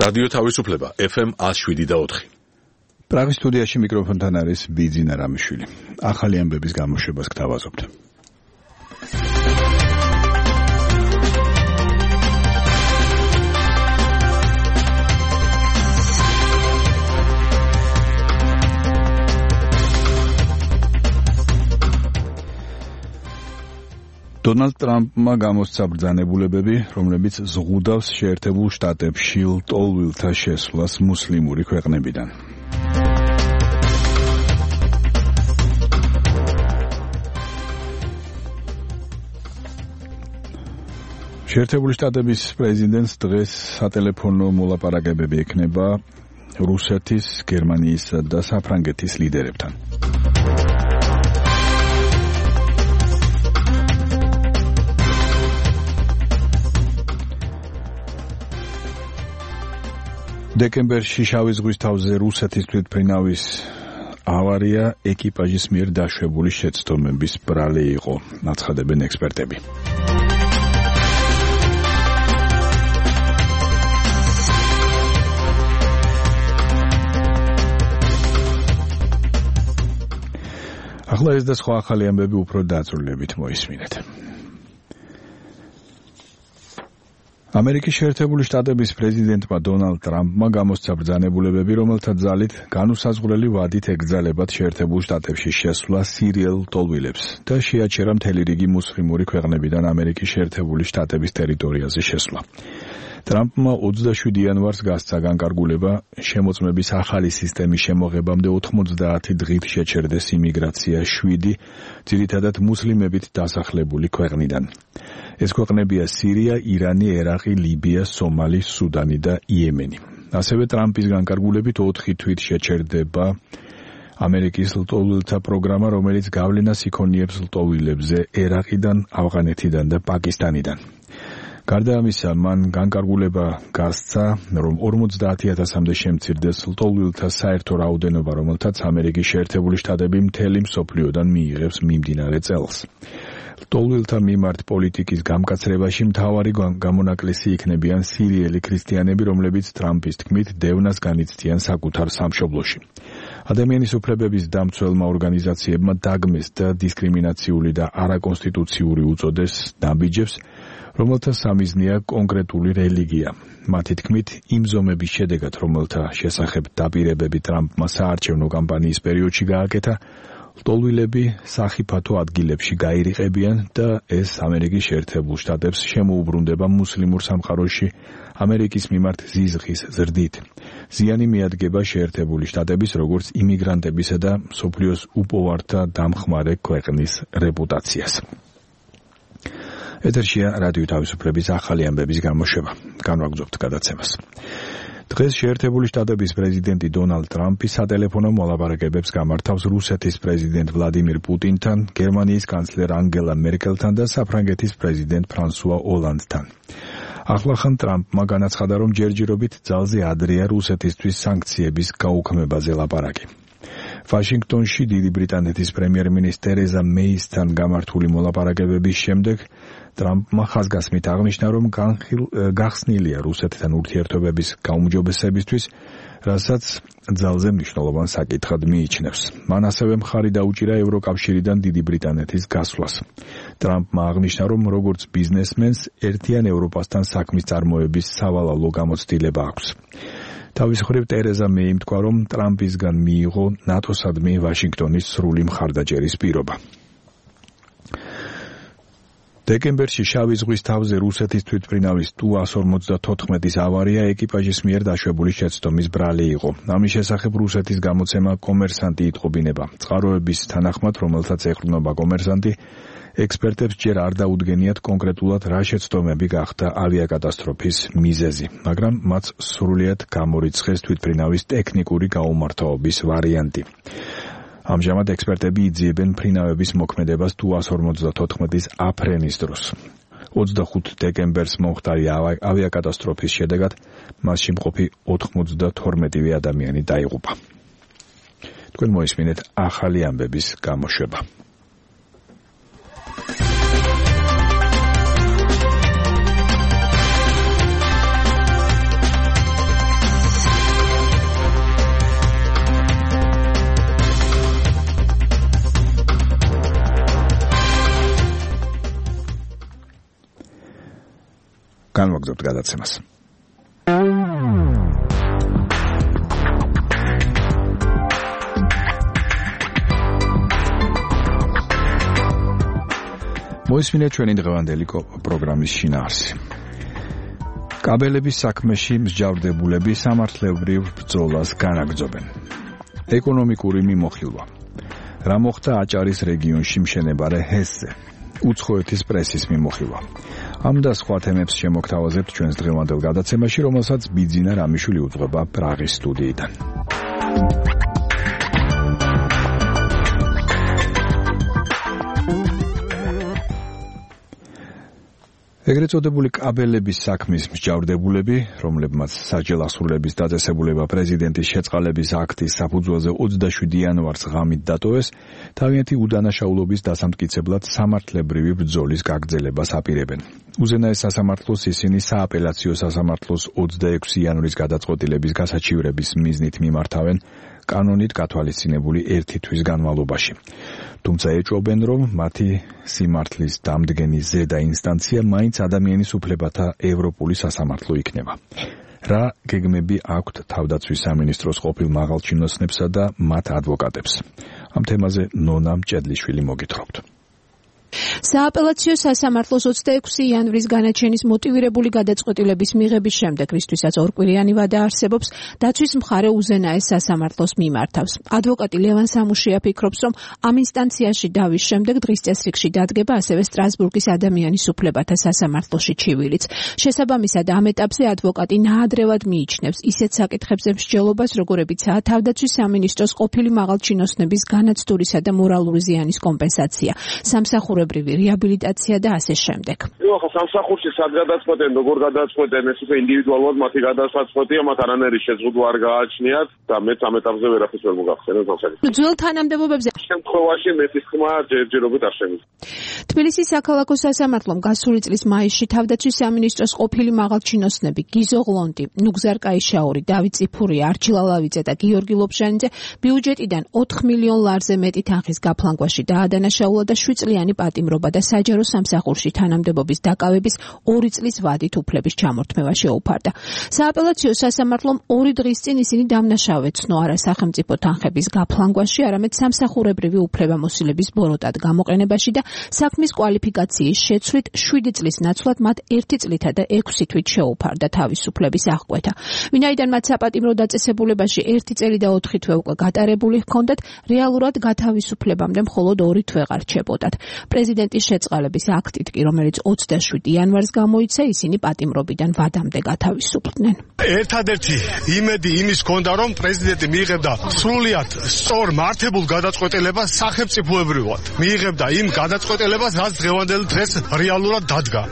რადიო თავისუფლება FM 107.4. პრაღის სტუდიაში მიკროფონთან არის ბიძინა რამიშვილი. ახალი ამბების გამოშვებას გთავაზობთ. დონალდ ტრამპმა გამოსცა ბრძანებულებები, რომლებიც ზღუდავს შეერთებულ შტატებში ლტოლვილთა შესვლას მუსლიმური ქვეყნებიდან. შეერთებული შტატების პრეზიდენტს დღეს სატელეფონო მოლაპარაკებები ექნება რუსეთის, გერმანიისა და საფრანგეთის ლიდერებთან. დეკემბერში შავი ზღვის თავზე რუსეთის თვითმფრინავის ავარია ეკიპაჟის მიერ დაშვებული შეცდომების ბრალი იყო, აცხადებენ ექსპერტები. ახლა ეს და სხვა ახალი ამბები უფრო დაწვრილებით მოისმინეთ. ამერიკის შეერთებული შტატების პრეზიდენტმა დონალდ ტრამპმა გამოსცა ბრძანებულებები, რომელთა ძალით განუსაზღვრელი ვადით ეგრძალებათ შეერთებულ შტატებში შესვლა სირიელ ლტოლვილებს და შეაჩერა მთელი რიგი მუსლიმური ქვეყნებიდან ამერიკის შეერთებული შტატების ტერიტორიაზე შესვლა. ტრამპმა 27 იანვარს გასცა განკარგულება შემოწმების ახალი სისტემის შემოღებამდე 90 დღით შეჩერდეს იმიგრაცია 7 ძირითადად მუსლიმებით დასახლებული ქვეყნიდან. ეს ქვეყნებია სირია, ირანი, ერაყი, ლიბია, სომალი, სუდანი და იემენი. ასევე ტრამპის განკარგულებით 4 თვით შეჩერდება ამერიკის ლტოლვილთა პროგრამა, რომელიც გავლენას იქონიებს ლტოლვილებზე ერაყიდან, ავღანეთიდან და პაკისტანიდან. გარდა ამისა, მან განკარგულება გასცა, რომ 50,000-მდე შემცირდეს ლტოლვილთა საერთო რაოდენობა, რომელთაც ამერიკის შეერთებული შტატები მთელი მსოფლიოდან მიიღებს მიმდინარე წელს. ლტოლვილთა მიმართ პოლიტიკის გამკაცრებაში მთავარი გამონაკლისი იქნებიან სირიელი ქრისტიანები, რომლებიც ტრამპის თქმით დევნას განიცდიან საკუთარ სამშობლოში. ადამიანის უფლებების დამცველმა ორგანიზაციებმა დაგმეს და დისკრიმინაციული და არაკონსტიტუციური უწოდეს ნაბიჯებს, რომელთა სამიზნეა კონკრეტული რელიგია. მათი თქმით, იმ ზომების შედეგად, რომელთა შესახებ დაპირებები ტრამპმა საარჩევნო კამპანიის პერიოდში გააკეთა, ლტოლვილები სახიფათო ადგილებში გაირიყებიან და ეს ამერიკის შეერთებულ შტატებს შემოუბრუნდება მუსლიმურ სამყაროში ამერიკის მიმართ ზიზღის ზრდით. ზიანი მიადგება შეერთებული შტატების როგორც იმიგრანტებისა და მსოფლიოს უპოვართა დამხმარე ქვეყნის რეპუტაციას. ეთერშია რადიო თავისუფლების ახალი ამბების გამოშვება. განვაგრძობთ გადაცემას. დღეს შეერთებული შტატების პრეზიდენტი დონალდ ტრამპი სატელეფონო მოლაპარაკებებს გამართავს რუსეთის პრეზიდენტ ვლადიმირ პუტინთან, გერმანიის კანცლერ ანგელა მერკელთან და საფრანგეთის პრეზიდენტ ფრანსუა ოლანდთან. ახლახან ტრამპმა განაცხადა, რომ ჯერჯერობით ძალზე ადრეა რუსეთისთვის სანქციების გაუქმებაზე ლაპარაკი. ვაშინგტონში დიდი ბრიტანეთის პრემიერ-მინისტრ ტერეზა მეისთან გამართული მოლაპარაკებების შემდეგ ტრამპმა ხაზგასმით აღნიშნა, რომ გახსნილია რუსეთთან ურთიერთობების გაუმჯობესებისთვის, რასაც ძალზე მნიშვნელოვან საკითხად მიიჩნევს. მან ასევე მხარი დაუჭირა ევროკავშირიდან დიდი ბრიტანეთის გასვლას. ტრამპმა აღნიშნა, რომ როგორც ბიზნესმენს ერთიან ევროპასთან საქმის წარმოების სავალალო გამოცდილება აქვს. თავის მხრივ ტერეზა მეიმ თქვა, რომ ტრამპისგან მიიღო ნატოსადმი ვაშინგტონის სრული მხარდაჭერის პირობა. დეკემბერში შავი ზღვის თავზე რუსეთის თვითმფრინავის Tu-154-ის ავარია ეკიპაჟის მიერ დაშვებული შეცდომის ბრალი იყო. ამის შესახებ რუსეთის გამოცემა კომერსანტი იტყობინება. წყაროების თანახმად, რომელთაც ეყრდნობა კომერსანტი, ექსპერტებს ჯერ არ დაუდგენიათ კონკრეტულად რა შეცდომები გახდა ავიაკატასტროფის მიზეზი, მაგრამ მათ სრულიად გამორიცხეს თვითმფრინავის ტექნიკური გაუმართავობის ვარიანტი. ამჟამად ექსპერტები იძიებენ მფრინავების მოქმედებას Tu-154-ის აფრენის დროს. 25 დეკემბერს მომხდარი ავიაკატასტროფის შედეგად მასში მყოფი 92 ადამიანი დაიღუპა. თქვენ მოისმინეთ ახალი ამბების გამოშვება. განვაგრძობთ გადაცემას. მოისმინეთ ჩვენი დღევანდელი პროგრამის შინაარსი. კაბელების საქმეში მსჯავრდებულები სამართლებრივ ბრძოლას განაგრძობენ. ეკონომიკური მიმოხილვა. რა მოხდა აჭარის რეგიონში მშენებარე ჰესზე? უცხოეთის პრესის მიმოხილვა. ამ და სხვა თემებს შემოგთავაზებთ ჩვენს დღევანდელ გადაცემაში, რომელსაც ბიძინა რამიშვილი უძღვება პრაღის სტუდიიდან. ეგრეთ წოდებული კაბელების საქმის მსჯავრდებულები, რომლებმაც საჯელახსრულების დაწესებულება პრეზიდენტის შეწყალების აქტის საფუძველზე 27 იანვარს ღამით დატოვეს, თავიანთი უდანაშაულობის დასამტკიცებლად სამართლებრივი ბრძოლის გაგრძელებას აპირებენ. უზენაეს სასამართლოს ისინი სააპელაციო სასამართლოს 26 იანვრის გადაწყვეტილების გასაჩივრების მიზნით მიმართავენ კანონით გათვალისწინებული 1 თვის განმავლობაში. თუმცა ეჭვობენ, რომ მათი სიმართლის დამდგენი ზედა ინსტანცია მაინც ადამიანის უფლებათა ევროპული სასამართლო იქნება. რა გეგმები აქვთ თავდაცვის სამინისტროს ყოფილ მაღალჩინოსნებსა და მათ ადვოკატებს? ამ თემაზე ნონა მჭედლიშვილი მოგითხრობთ. სააპელაციო სასამართლოს 26 იანვრის განაჩენის მოტივირებული გადაწყვეტილების მიღების შემდეგ, რისთვისაც ორკვირიანი ვადა არსებობს, დაცვის მხარე უზენაეს სასამართლოს მიმართავს. ადვოკატი ლევან სამუშია ფიქრობს, რომ ამ ინსტანციაში დავის შემდეგ დღის წესრიგში დადგება ასევე სტრასბურგის ადამიანის უფლებათა სასამართლოში ჩივილიც. შესაბამისად, ამ ეტაპზე ადვოკატი ნაადრევად მიიჩნევს ისეთ საკითხებზე მსჯელობას, როგორებიცაა თავდაცვის სამინისტროს ყოფილი მაღალჩინოსნების განაცდურისა და მორალური ზიანის კომპენსაცია, სამსახურებრივი რეაბილიტაცია და ასე შემდეგ. ხა სამსახურში სად გადაწყვეტენ, როგორ გადაწყვეტენ, ეს უკვე ინდივიდუალურად მათი გადაწყვეტია, მათ არანაირი შეზღუდვა არ გააჩნიათ და მეც ამ ეტაპზე ვერაფერს ვერ მოგახსენებ ამ საკითხს. ძველ თანამდებობებზე შემთხვევაში მეტის ხმა ჯერჯერობით არ შემიძლია. თბილისის საქალაქო სასამართლომ გასული წლის მაისში თავდაცვის სამინისტროს ყოფილი მაღალჩინოსნები გიზო ღლონტი, ნუგზარ კაიშაური, დავით წიფურია, არჩილ ალავიძე და გიორგი ლობჟანიძე ბიუჯეტიდან 4 მილიონ ლარზე მეტი თანხის გაფლანგვაში დაადანაშაულა და 7 წლიანი პატიმრობა და საჯარო სამსახურში თანამდებობის დაკავების 2 წლის ვადით უფლების ჩამორთმევა შეუფარდა. სააპელაციო სასამართლომ 2 დღის წინ ისინი დამნაშავე ცნო არა სახელმწიფო თანხების გაფლანგვაში, არამედ სამსახურებრივი უფლებამოსილების ბოროტად გამოყენებაში და საქმის კვალიფიკაციის შეცვლით 7 წლის ნაცვლად მათ 1 წლითა და 6 თვით შეუფარდა თავისუფლების აღკვეთა. ვინაიდან მათ საპატიმრო დაწესებულებაში 1 წელი და 4 თვე უკვე გატარებული ჰქონდათ, რეალურად გათავისუფლებამდე მხოლოდ 2 თვე რჩებოდათ. პრეზიდენტის შეწყალების აქტით კი, რომელიც 27 იანვარს გამოიცა, ისინი პატიმრობიდან ვადამდე გათავისუფლდნენ. ერთადერთი იმედი იმის ჰქონდა, რომ პრეზიდენტი მიიღებდა სრულიად სწორ მართებულ გადაწყვეტილებას სახელმწიფოებრივად. მიიღებდა იმ გადაწყვეტილებას, რაც დღევანდელ დღეს რეალურად დადგა.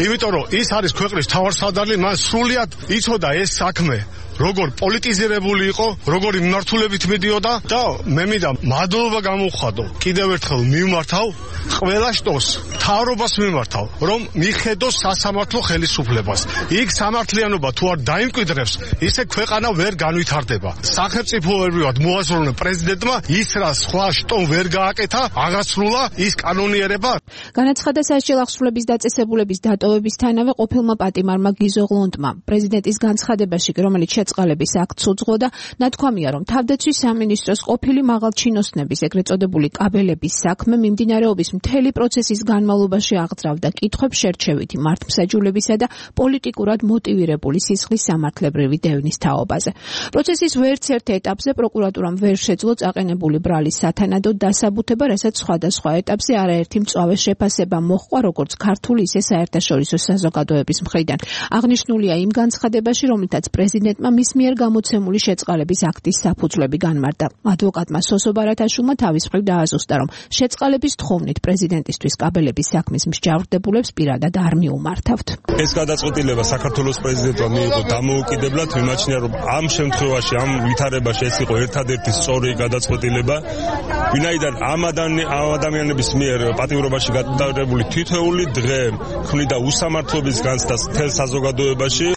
იმიტომ რომ ის არის ქვეყნის მთავარსარდალი, მან სრულიად იცოდა ეს საქმე როგორ პოლიტიზირებული იყო, როგორი მიმართულებით მიდიოდა და მე მინდა მადლობა გამოვხადო. კიდევ ერთხელ მიმართავ ყველა შტოს, მთავრობას მიმართავ, რომ მიხედოს სასამართლო ხელისუფლებას. იქ სამართლიანობა თუ არ დაიმკვიდრებს, ისე ქვეყანა ვერ განვითარდება. სახელმწიფოებრივად მოაზროვნე პრეზიდენტმა ის რა სხვა შტომ ვერ გააკეთა, აღასრულა ის კანონიერება. განაცხადა საჯელახსრულების დაწესებულების დატოვებისთანავე ყოფილმა პატიმარმა გიზო ღლონტმა. პრეზიდენტის განცხადებაში, რომელიც შეწყალების აქტს უძღვოდა, ნათქვამია, რომ თავდაცვის სამინისტროს ყოფილი მაღალჩინოსნების ეგრეთ წოდებული კაბელების საქმე მიმდინარეობის მთელი პროცესის განმავლობაში აღძრავდა კითხვებს შერჩევითი მართლმსაჯულებისა და პოლიტიკურად მოტივირებული სისხლის სამართლებრივი დევნის თაობაზე. პროცესის ვერც ერთ ეტაპზე პროკურატურამ ვერ შეძლო წაყენებული ბრალის სათანადოდ დასაბუთება, რასაც სხვადასხვა ეტაპზე არაერთი მწვავე შეფასება მოჰყვა, როგორც ქართული, ისე საერთაშორისო საზოგადოების მხრიდან. აღნიშნულია იმ განცხადებაში, რომლითაც პრეზიდენტმა მის მიერ გამოცემული შეწყალების აქტის საფუძვლები განმარტა. ადვოკატმა სოსო ბარათაშვილმა თავის მხრივ დააზუსტა, რომ შეწყალების თხოვნით პრეზიდენტისთვის კაბელების საქმის მსჯავრდებულებს პირადად არ მიუმართავთ. ეს გადაწყვეტილება საქართველოს პრეზიდენტმა მიიღო დამოუკიდებლად, მიმაჩნია, რომ ამ შემთხვევაში, ამ ვითარებაში ეს იყო ერთადერთი სწორი გადაწყვეტილება, ვინაიდან ამ ადამიანების მიერ პატიმრობაში გადადებული თითოეული დღე ქმნიდა უსამართლობის განცდას მთელ საზოგადოებაში.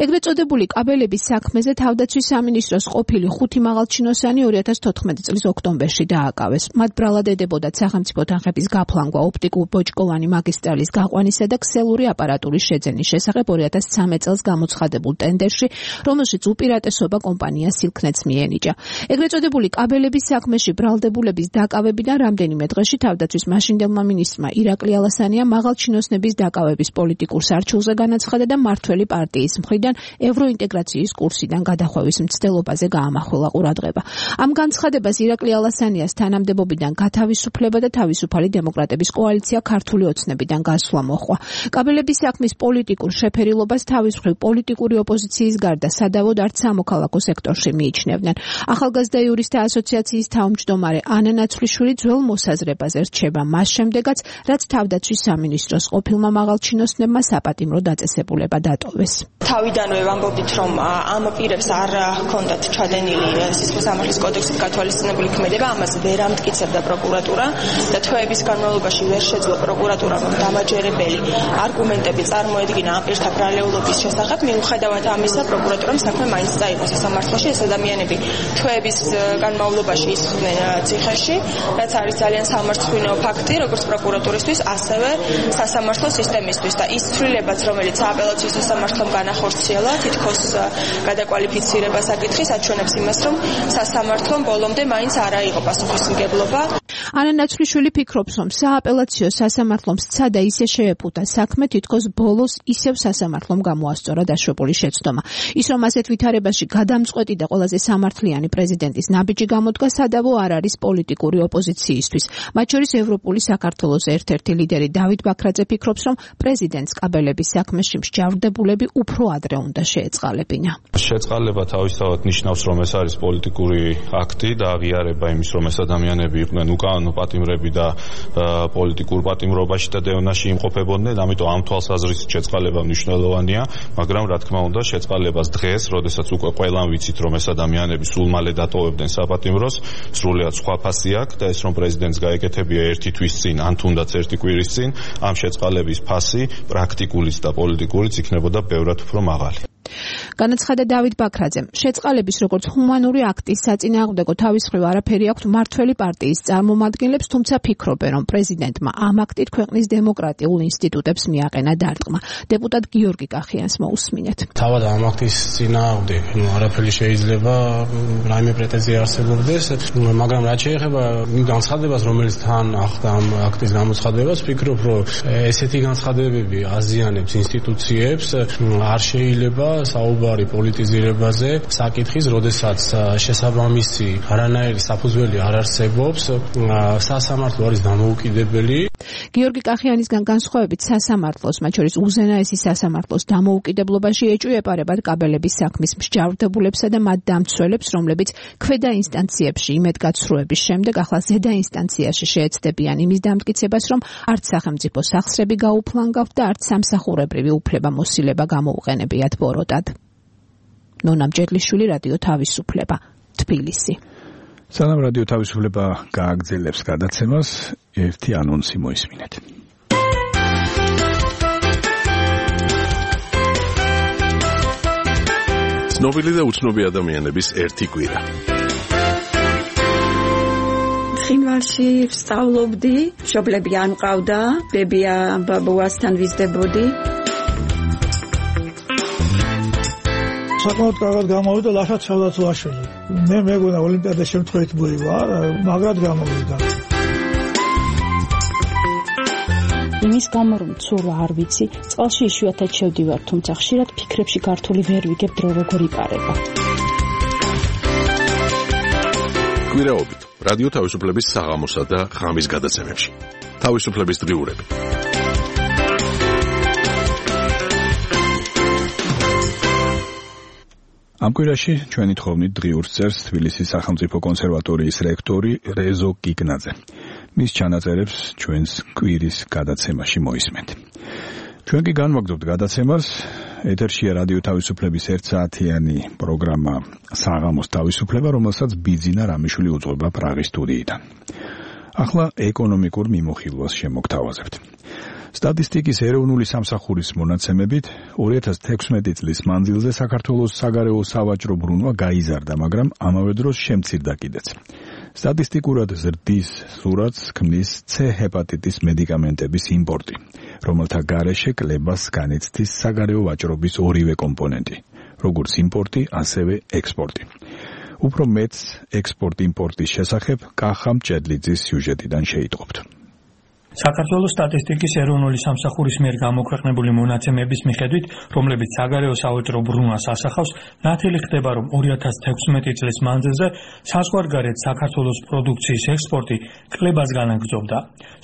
ეგრეთ წოდებული კაბელების საქმეზე თავდაცვის სამინისტროს ყოფილი 5 მაღალჩინოსანი 2014 წლის ოქტომბერში დააკავეს. მათ ბრალად ედებოდათ სახელმწიფო თანხების გაფლანგვა ოპტიკურ-ბოჭკოვანი მაგისტრალის გაყვანისა და ქსელური აპარატურის შეძენის შესახებ 2013 წელს გამოცხადებულ ტენდერში, რომელშიც უპირატესობა კომპანია სილქნეტს მიენიჭა. ეგრეთ წოდებული კაბელების საქმეში ბრალდებულების დაკავებიდან რამდენიმე დღეში თავდაცვის მაშინდელმა მინისტრმა ირაკლი ალასანია მაღალჩინოსნების დაკავების პოლიტიკურ სარჩულზე განაცხადა და მართველი პარტიის მხრიდან ევროინტეგრაციის კურსიდან გადახვევის მცდელობაზე გაამახვილა ყურადღება. ამ განცხადებას ირაკლი ალასანიას თანამდებობიდან გათავისუფლება და თავისუფალი დემოკრატების კოალიცია ქართული ოცნებიდან გასვლა მოჰყვა. კაბელების საქმის პოლიტიკურ შეფერილობას თავის მხრივ პოლიტიკური ოპოზიციის გარდა სადავოდ არც სამოქალაქო სექტორში მიიჩნევდნენ. ახალგაზრდა იურისტთა ასოციაციის თავმჯდომარე ანა ნაცვლიშვილი ძველ მოსაზრებაზე რჩება მას შემდეგაც, რაც თავდაცვის სამინისტროს ყოფილმა მაღალჩინოსნებმა საპატიმრო დაწესებულება დატოვეს. თავიდანვე ვამბობდით, რომ ამ პირებს არ ჰქონდათ ჩადენილი სისხლის სამართლის კოდექსით გათვალისწინებული ქმედება, ამას ვერ ამტკიცებდა პროკურატურა და თვეების განმავლობაში ვერ შეძლო პროკურატურამ დამაჯერებელი არგუმენტები წარმოედგინა ამ პირთა ბრალეულობის შესახებ. მიუხედავად ამისა, პროკურატურამ საქმე მაინც წაიღო სასამართლოში. ეს ადამიანები თვეების განმავლობაში ისხდნენ ციხეში, რაც არის ძალიან სამარცხვინო ფაქტი, როგორც პროკურატურისთვის, ასევე სასამართლო სისტემისთვის და ის ცვლილებაც, რომელიც აპელაციის სასამართლომ განახორციელა, თითქოს გადაკვალიფიცირება საკითხის აჩვენებს იმას, რომ სასამართლომ ბოლომდე მაინც არ აიღო პასუხისმგებლობა. ანა ნაცვლიშვილი ფიქრობს, რომ სააპელაციო სასამართლომ სცადა ისე შეეფუთა საქმე, თითქოს ბოლოს ისევ სასამართლომ გამოასწორა დაშვებული შეცდომა. ის რომ ასეთ ვითარებაში გადამწყვეტი და ყველაზე სამართლიანი პრეზიდენტის ნაბიჯი გამოდგა, სადავო არ არის პოლიტიკური ოპოზიციისთვის. მათ შორის ევროპული საქართველოს ერთ-ერთი ლიდერი დავით ბაქრაძე ფიქრობს, რომ პრეზიდენტს კაბელების საქმეში მსჯავრდებულები უფრო ადრე უნდა შეეწყალებინა. შეწყალება თავისთავად ნიშნავს, რომ ეს არის პოლიტიკური აქტი და აღიარება იმის, რომ ეს ადამიანები იყვნენ უკანონო პატიმრები და პოლიტიკურ პატიმრობაში და დევნაში იმყოფებოდნენ, ამიტომ ამ თვალსაზრისით შეწყალება მნიშვნელოვანია, მაგრამ რა თქმა უნდა, შეწყალებას დღეს, როდესაც უკვე ყველამ ვიცით, რომ ეს ადამიანები სულ მალე დატოვებდნენ საპატიმროს, სრულიად სხვა ფასი აქვს და ეს რომ პრეზიდენტს გაეკეთებია ერთი თვის წინ, ან თუნდაც ერთი კვირის წინ, ამ შეწყალების ფასი პრაქტიკულიც და პოლიტიკურიც იქნებოდა ბევრად უფრო მაღალი. განაცხადა დავით ბაქრაძემ, შეწყალების როგორც ჰუმანური აქტის საწინააღმდეგო თავის მხრივ არაფერი აქვთ მართველი პარტიის წარმომადგენლებს, თუმცა ფიქრობენ, რომ პრეზიდენტმა ამ აქტით ქვეყნის დემოკრატიულ ინსტიტუტებს მიაყენა დარტყმა. დეპუტატ გიორგი კახიანს მოусმინეთ. თავად ამ აქტის წინააღმდეგ არაფერი შეიძლება რაიმე პრეტენზია არსებობდეს, მაგრამ რაც შეეხება განცხადებას, რომელიც თან ახდა ამ აქტის გამოცხადებას, ფიქრობ, რომ ესეთი განცხადებები აზიანებს ინსტიტუციებს, არ შეიძლება საუბარი პოლიტიზირებაზე საკითხის, როდესაც შესაბამისი არანაირი საფუძველი არ არსებობს, სასამართლო არის დამოუკიდებელი. გიორგი კახიანისგან განსხვავებით სასამართლოს, მათ შორის უზენაესი სასამართლოს დამოუკიდებლობაში ეჭვიეპარებათ კაბელების საქმის მსჯავრდებულებსა და მათ დამცველებს, რომლებიც ქვედა ინსტანციებში იმედგაცრუების შემდეგ ახლა ზედა ინსტანციაში შეეცდებიან იმის დამტკიცებას, რომ არც სახელმწიფო სახსრები გაუფლანგავთ და არც სამსახურებრივი უფლებამოსილება გამოუყენებიათ ბოროტად. ნონა მჭედლიშვილი, რადიო თავისუფლება, თბილისი. სანამ რადიო თავისუფლება გააგრძელებს გადაცემას, ერთი ანონსი მოისმინეთ. ცნობილი და უცნობი ადამიანების ერთი კვირა. ხინვალში ვსწავლობდი, მშობლები არ მყავდა, ბებია ბაბუასთან ვიზრდებოდი. საკმაოდ კარგად გამოვიდა ლაშა ცალდაცვაშვილი. მე მეგონა ოლიმპიადა შემთხვევით მოივა, მაგრად გამოვიდა. იმის გამო რომ ცურვა არ ვიცი, წყალში იშვიათად შევდივარ, თუმცა ხშირად ფიქრებში გართული ვერ ვიგებ დრო როგორ იპარება. კვირაობით რადიო თავისუფლების საღამოსა და ღამის გადაცემებში. თავისუფლების დღიურები. ამ კვირაში ჩვენი თხოვნით დღიურს წერს თბილისის სახელმწიფო კონსერვატორიის რექტორი რეზო კიკნაძე. მის ჩანაწერებს ჩვენს კვირის გადაცემაში მოისმენთ. ჩვენ კი განვაგრძობთ გადაცემას. ეთერშია რადიო თავისუფლების 1 საათიანი პროგრამა საღამოს თავისუფლება, რომელსაც ბიძინა რამიშვილი უძღვება პრაღის სტუდიიდან. ახლა ეკონომიკურ მიმოხილვას შემოგთავაზებთ. სტატისტიკის ეროვნული სამსახურის მონაცემებით 2016 წლის მანძილზე საქართველოს საგარეო სავაჭრო ბრუნვა გაიზარდა, მაგრამ ამავე დროს შემცირდა კიდეც. სტატისტიკურად ზრდის სურათს ქმნის C ჰეპატიტის მედიკამენტების იმპორტი, რომელთა გარეშე კლებას განიცდის საგარეო ვაჭრობის ორივე კომპონენტი, როგორც იმპორტი, ასევე ექსპორტი. უფრო მეტს ექსპორტ-იმპორტის შესახებ კახა მჭედლიძის სიუჟეტიდან შეიტყობთ. საქართველოს სტატისტიკის ეროვნული სამსახურის მიერ გამოქვეყნებული მონაცემების მიხედვით, რომლებიც საგარეო სავაჭრო ბრუნვას ასახავს, ნათელი ხდება, რომ 2016 წლის მანძილზე საზღვარგარეთ საქართველოს პროდუქციის ექსპორტი კლებას განაგრძობდა.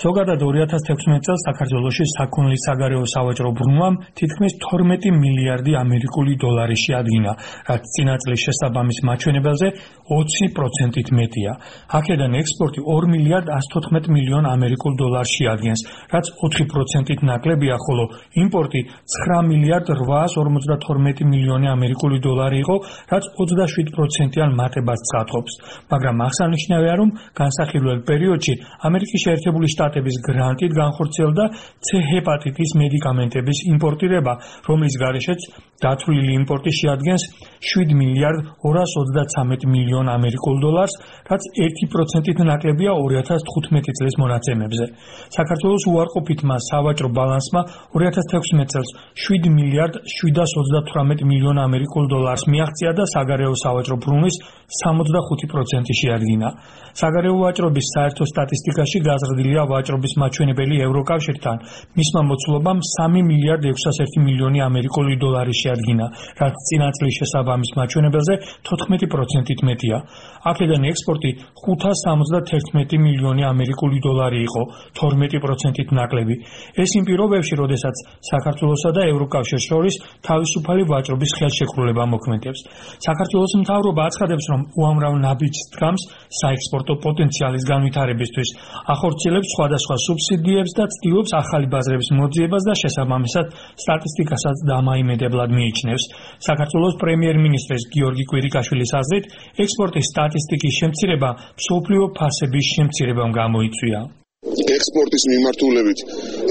ზოგადად 2016 წელს საქართველოში საქონლის საგარეო სავაჭრო ბრუნვამ თითქმის 12 მილიარდი ამერიკული დოლარი შეადგინა, რაც წინა წლის შესაბამის მაჩვენებელზე 20%-ით მეტია. აქედან ექსპორტი 2 მილიარდ 114 მილიონ ამერიკულ დოლარს შეადგენს, რაც 4%-ით ნაკლებია, ხოლო იმპორტი 9 მილიარდ 852 მილიონი ამერიკული დოლარი იყო, რაც 27%-იან მატებას ცხადყოფს. მაგრამ აღსანიშნავია, რომ განსახილველ პერიოდში ამერიკის შეერთებული შტატების გრანტით განხორციელდა C ჰეპატიტის მედიკამენტების იმპორტირება, რომლის გარეშეც დათვლილი იმპორტი შეადგენს 7 მილიარდ 233 მილიონ ამერიკულ დოლარს, რაც 1%-ით ნაკლებია 2015 წლის მონაცემებზე. საქართველოს უარყოფითმა სავაჭრო ბალანსმა 2016 წელს 7 მილიარდ 728 მილიონ ამერიკულ დოლარს მიაღწია და საგარეო სავაჭრო ბრუნვის 65% შეადგინა. საგარეო ვაჭრობის საერთო სტატისტიკაში გაზრდილია ვაჭრობის მაჩვენებელი ევროკავშირთან. მისმა მოცულობამ 3 მილიარდ 601 მილიონი ამერიკული დოლარი შეადგინა, რაც წინა წლის შესაბამის მაჩვენებელზე 14%-ით მეტია. აქედან ექსპორტი 571 მილიონი ამერიკული დოლარი იყო, 12%-ით ნაკლები. ეს იმ პირობებში, როდესაც საქართველოსა და ევროკავშირს შორის თავისუფალი ვაჭრობის ხელშეკრულება მოქმედებს. საქართველოს მთავრობა აცხადებს, რომ უამრავ ნაბიჯს დგამს საექსპორტო პოტენციალის განვითარებისთვის, ახორციელებს სხვადასხვა სუბსიდიებს და ცდილობს ახალი ბაზრების მოძიებას და შესაბამისად სტატისტიკასაც დამაიმედებლად მიიჩნევს. საქართველოს პრემიერ-მინისტრის გიორგი კვირიკაშვილის აზრით, ექსპორტის სტატისტიკის შემცირება მსოფლიო ფასების შემცირებამ გამოიწვია. ექსპორტის მიმართულებით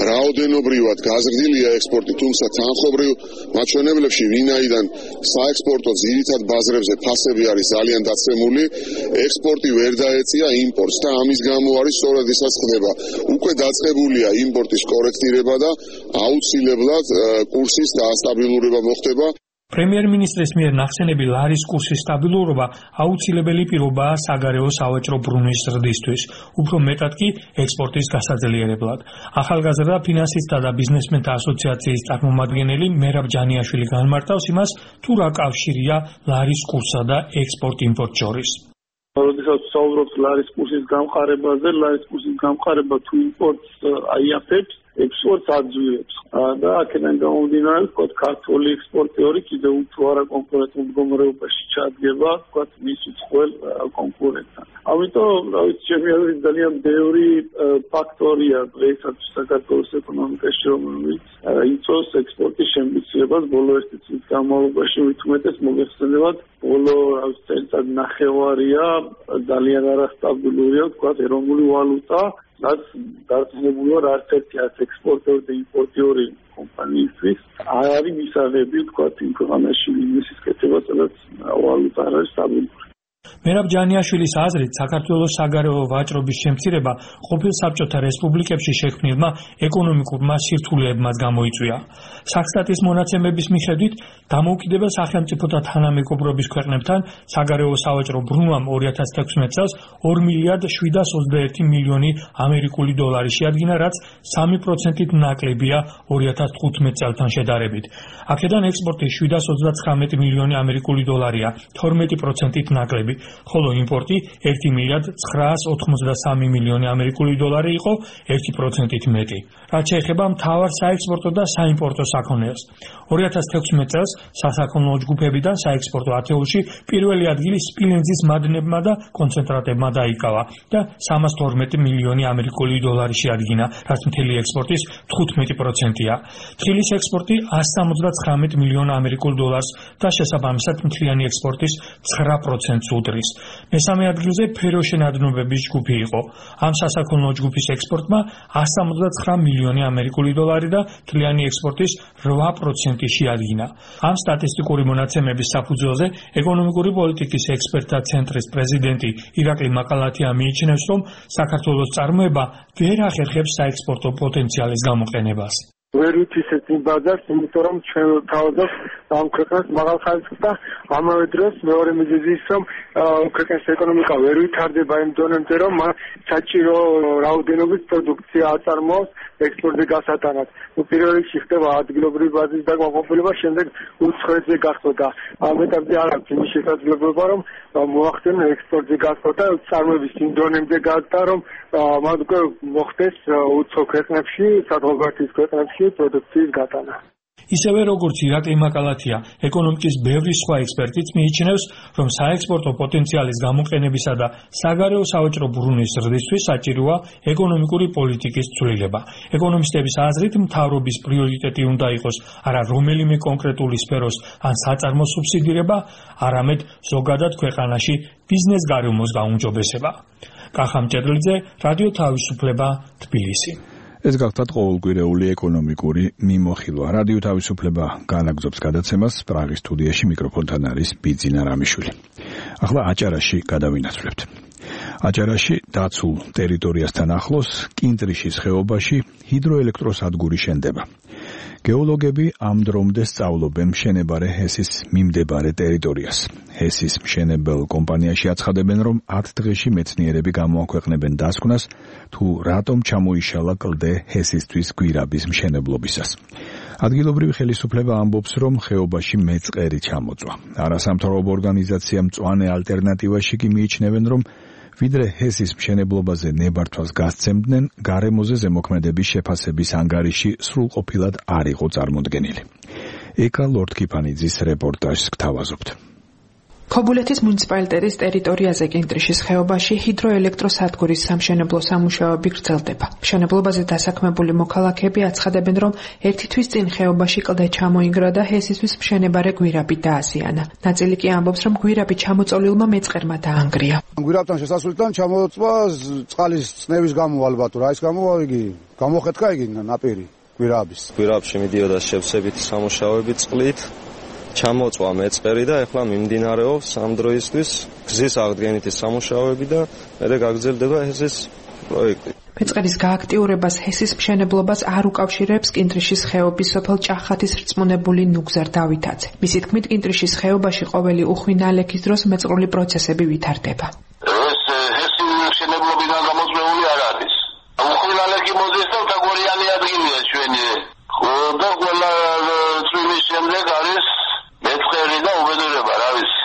რაოდენობრივად გაზრდილია ექსპორტი, თუმცა თანხმობრივ მაჩვენებლებში, ვინაიდან საექსპორტო ძირითად ბაზრებზე ფასები არის ძალიან დაცემული, ექსპორტი ვერ დაეწია იმპორტს და ამის გამო არის სწორედ ისაც ხდება. უკვე დაწყებულია იმპორტის კორექტირება და აუცილებლად კურსის დაასტაბილურება მოხდება. პრემიერ-მინისტრის მიერ ნახსენები ლარის კურსის სტაბილურობა აუცილებელი პირობაა საგარეო სავაჭრო ბრუნვის ზრდისთვის, უფრო მეტად კი ექსპორტის გასაძლიერებლად. ახალგაზრდა ფინანსისტთა და ბიზნესმენთა ასოციაციის წარმომადგენელი მერაბ ჯანიაშვილი განმარტავს იმას, თუ რა კავშირია ლარის კურსსა და ექსპორტ-იმპორტ შორის. როდესაც საუბრობთ ლარის კურსის გამყარებაზე, ლარის კურსის გამყარება თუ იმპორტს აიაფებს, ექსპორტს აძლევს და აქედან გამომდინარე, ვთქვათ, ქართული ექსპორტიორი კიდევ უფრო არაკონკურენტულ მდგომარეობაში ჩადგება, ვთქვათ, მის უცხოელ კონკურენტთან. ამიტომ, რა ვიცი, ჩემი აზრით ძალიან ბევრი ფაქტორია დღესაც საქართველოს ეკონომიკაში, რომელიც იწვევს ექსპორტის შემცირებას ბოლო ერთი წლის განმავლობაში, მით უმეტეს მოგეხსენებათ, ბოლო წელიწად ნახევარია ძალიან არასტაბილურია, ვთქვათ, ეროვნული ვალუტა, რაც დარწმუნებული ვარ, არც ერთი ექსპორტიორი და იმპორტიორი კომპანიისთვის არ არის მისაღები, ვთქვათ, იმ ქვეყანაში ბიზნესის კეთება, სადაც ვალუტა არ არის სტაბილური. მერაბ ჯანიაშვილის აზრით, საქართველოს საგარეო ვაჭრობის შემცირება ყოფილ საბჭოთა რესპუბლიკებში შექმნილმა ეკონომიკურმა სირთულეებმაც გამოიწვია. სახსტატის მონაცემების მიხედვით, დამოუკიდებელ სახელმწიფოთა თანამეგობრობის ქვეყნებთან საგარეო სავაჭრო ბრუნვამ 2016 წელს 2 მილიარდ 721 მილიონი ამერიკული დოლარი შეადგინა, რაც 3%-ით ნაკლებია 2015 წელთან შედარებით. აქედან ექსპორტი 729 მილიონი ამერიკული დოლარია, 12%-ით ნაკლები. ხოლო იმპორტი 1 მილიარდ 983 მილიონი ამერიკული დოლარი იყო, 1%-ით მეტი. რაც შეეხება მთავარ საექსპორტო და საიმპორტო საქონელს. 2016 წელს სასაქონლო ჯგუფებიდან საექსპორტო ათეულში პირველი ადგილი სპილენძის მადნებმა და კონცენტრატებმა დაიკავა და 312 მილიონი ამერიკული დოლარი შეადგინა, რაც მთელი ექსპორტის 15%-ია. თხილის ექსპორტი 179 მილიონ ამერიკულ დოლარს და შესაბამისად მთლიანი ექსპორტის 9%-ს უდრის. მესამე ადგილზე ფეროშენადნობების ჯგუფი იყო. ამ სასაქონლო ჯგუფის ექსპორტმა 179 მილიონი ამერიკული დოლარი და თვლიანი ექსპორტის 8% შეადგინა. ამ სტატისტიკური მონაცემების საფუძველზე ეკონომიკური პოლიტიკის ექსპერტთა ცენტრის პრეზიდენტი ირაკლი მაკალათია მიიჩნევს, რომ საქართველოს წარმოება ვერ ახერხებს საექსპორტო პოტენციალის გამოყენებას. ვერ უთისებს იმ ბაზარს, იმიტომ რომ ჩვენ თავადაც ამ ქვეყანას მაღალ ხარისხს და ამავე დროს მეორე მიზეზი ის, რომ ქვეყნის ეკონომიკა ვერ ვითარდება იმ დონემდე, რომ საჭირო რაოდენობის პროდუქცია აწარმოოს ექსპორტზე გასატანად. პირველ რიგში ხდება ადგილობრივი ბაზის დაკმაყოფილება, შემდეგ უცხოეთზე გახსნა. ამ ეტაპზე არ აქვს იმის შესაძლებლობა, რომ მოახდინონ ექსპორტზე გასხმა და წარმოების იმ დონემდე გაზრდა, რომ მათ უკვე მოხდეს უცხო ქვეყნებში, სადღობართის ქვეყნებში პროდუქციის გატანა. ისევე როგორც ირაკლი მაკალათია, ეკონომიკის ბევრი სხვა ექსპერტიც მიიჩნევს, რომ საექსპორტო პოტენციალის გამოყენებისა და საგარეო სავაჭრო ბრუნვის ზრდისთვის საჭიროა ეკონომიკური პოლიტიკის ცვლილება. ეკონომისტების აზრით, მთავრობის პრიორიტეტი უნდა იყოს არა რომელიმე კონკრეტული სფეროს ან საწარმოს სუბსიდირება, არამედ ზოგადად ქვეყანაში ბიზნეს გარემოს გაუმჯობესება. კახა მჭედლიძე, რადიო თავისუფლება, თბილისი. ეს გახლავთ ყოველკვირეული ეკონომიკური მიმოხილვა. რადიო თავისუფლება განაგრძობს გადაცემას. პრაღის სტუდიაში მიკროფონთან არის ბიძინა რამიშვილი. ახლა აჭარაში გადავინაცვლებთ. აჭარაში დაცულ ტერიტორიასთან ახლოს კინტრიშის ხეობაში ჰიდროელექტროსადგური შენდება. გეოლოგები ამ დრომდე სწავლობენ მშენებარე ჰესის მიმდებარე ტერიტორიას. ჰესის მშენებელ კომპანიაში აცხადებენ, რომ 10 დღეში მეცნიერები გამოაქვეყნებენ დასკვნას, თუ რატომ ჩამოიშალა კლდე ჰესისთვის გვირაბის მშენებლობისას. ადგილობრივი ხელისუფლება ამბობს, რომ ხეობაში მეწყერი ჩამოწვა. არასამთავრობო ორგანიზაცია მწვანე ალტერნატივაში კი მიიჩნევენ, რომ ვიდრე ჰესის მშენებლობაზე ნებართვას გასცემდნენ, გარემოზე ზემოქმედების შეფასების ანგარიში სრულყოფილად არ იყო წარმოდგენილი. ეკა ლორდკიფანიძის რეპორტაჟს გთავაზობთ. ქობულეთის მუნიციპალიტეტის ტერიტორიაზე კინტრიშის ხეობაში ჰიდროელექტროსადგურის სამშენებლო სამუშაოები გრძელდება. მშენებლობაზე დასაქმებული მოქალაქეები აცხადებენ, რომ ერთი თვის წინ ხეობაში კლდე ჩამოინგრა და ჰესისთვის მშენებარე გვირაბი დააზიანა. ნაწილი კი ამბობს, რომ გვირაბი ჩამოწოლილმა მეწყერმა დაანგრია. გვირაბთან შესასვლელთან ჩამოწვა წყალის წნევის გამო ალბათ, რა ის გამო იგი გამოხეთქა იგი ნაპირი გვირაბის. გვირაბში მიდიოდა შევსებითი სამუშაოები წყლით. ჩამოწვა მეწყერი და ეხლა მიმდინარეობს ამ დროისთვის გზის აღდგენითი სამუშაოები და მერე გაგრძელდება ჰესის პროექტი. მეწყერის გააქტიურებას ჰესის მშენებლობას არ უკავშირებს კინტრიშის ხეობის სოფელ ჭახათის რწმუნებული ნუგზარ დავითაძე. მისი თქმით, კინტრიშის ხეობაში ყოველი უხვი ნალექის დროს მეწყრული პროცესები ვითარდება. ეს ჰესი მშენებლობიდან გამოწვეული არ არის. უხვი ნალექი მოძეს და თაგორიანი ადგილია ჩვენი. და ყველა წვიმის შემდეგ არის მეწყერი და უბედურება, რა ვიცი.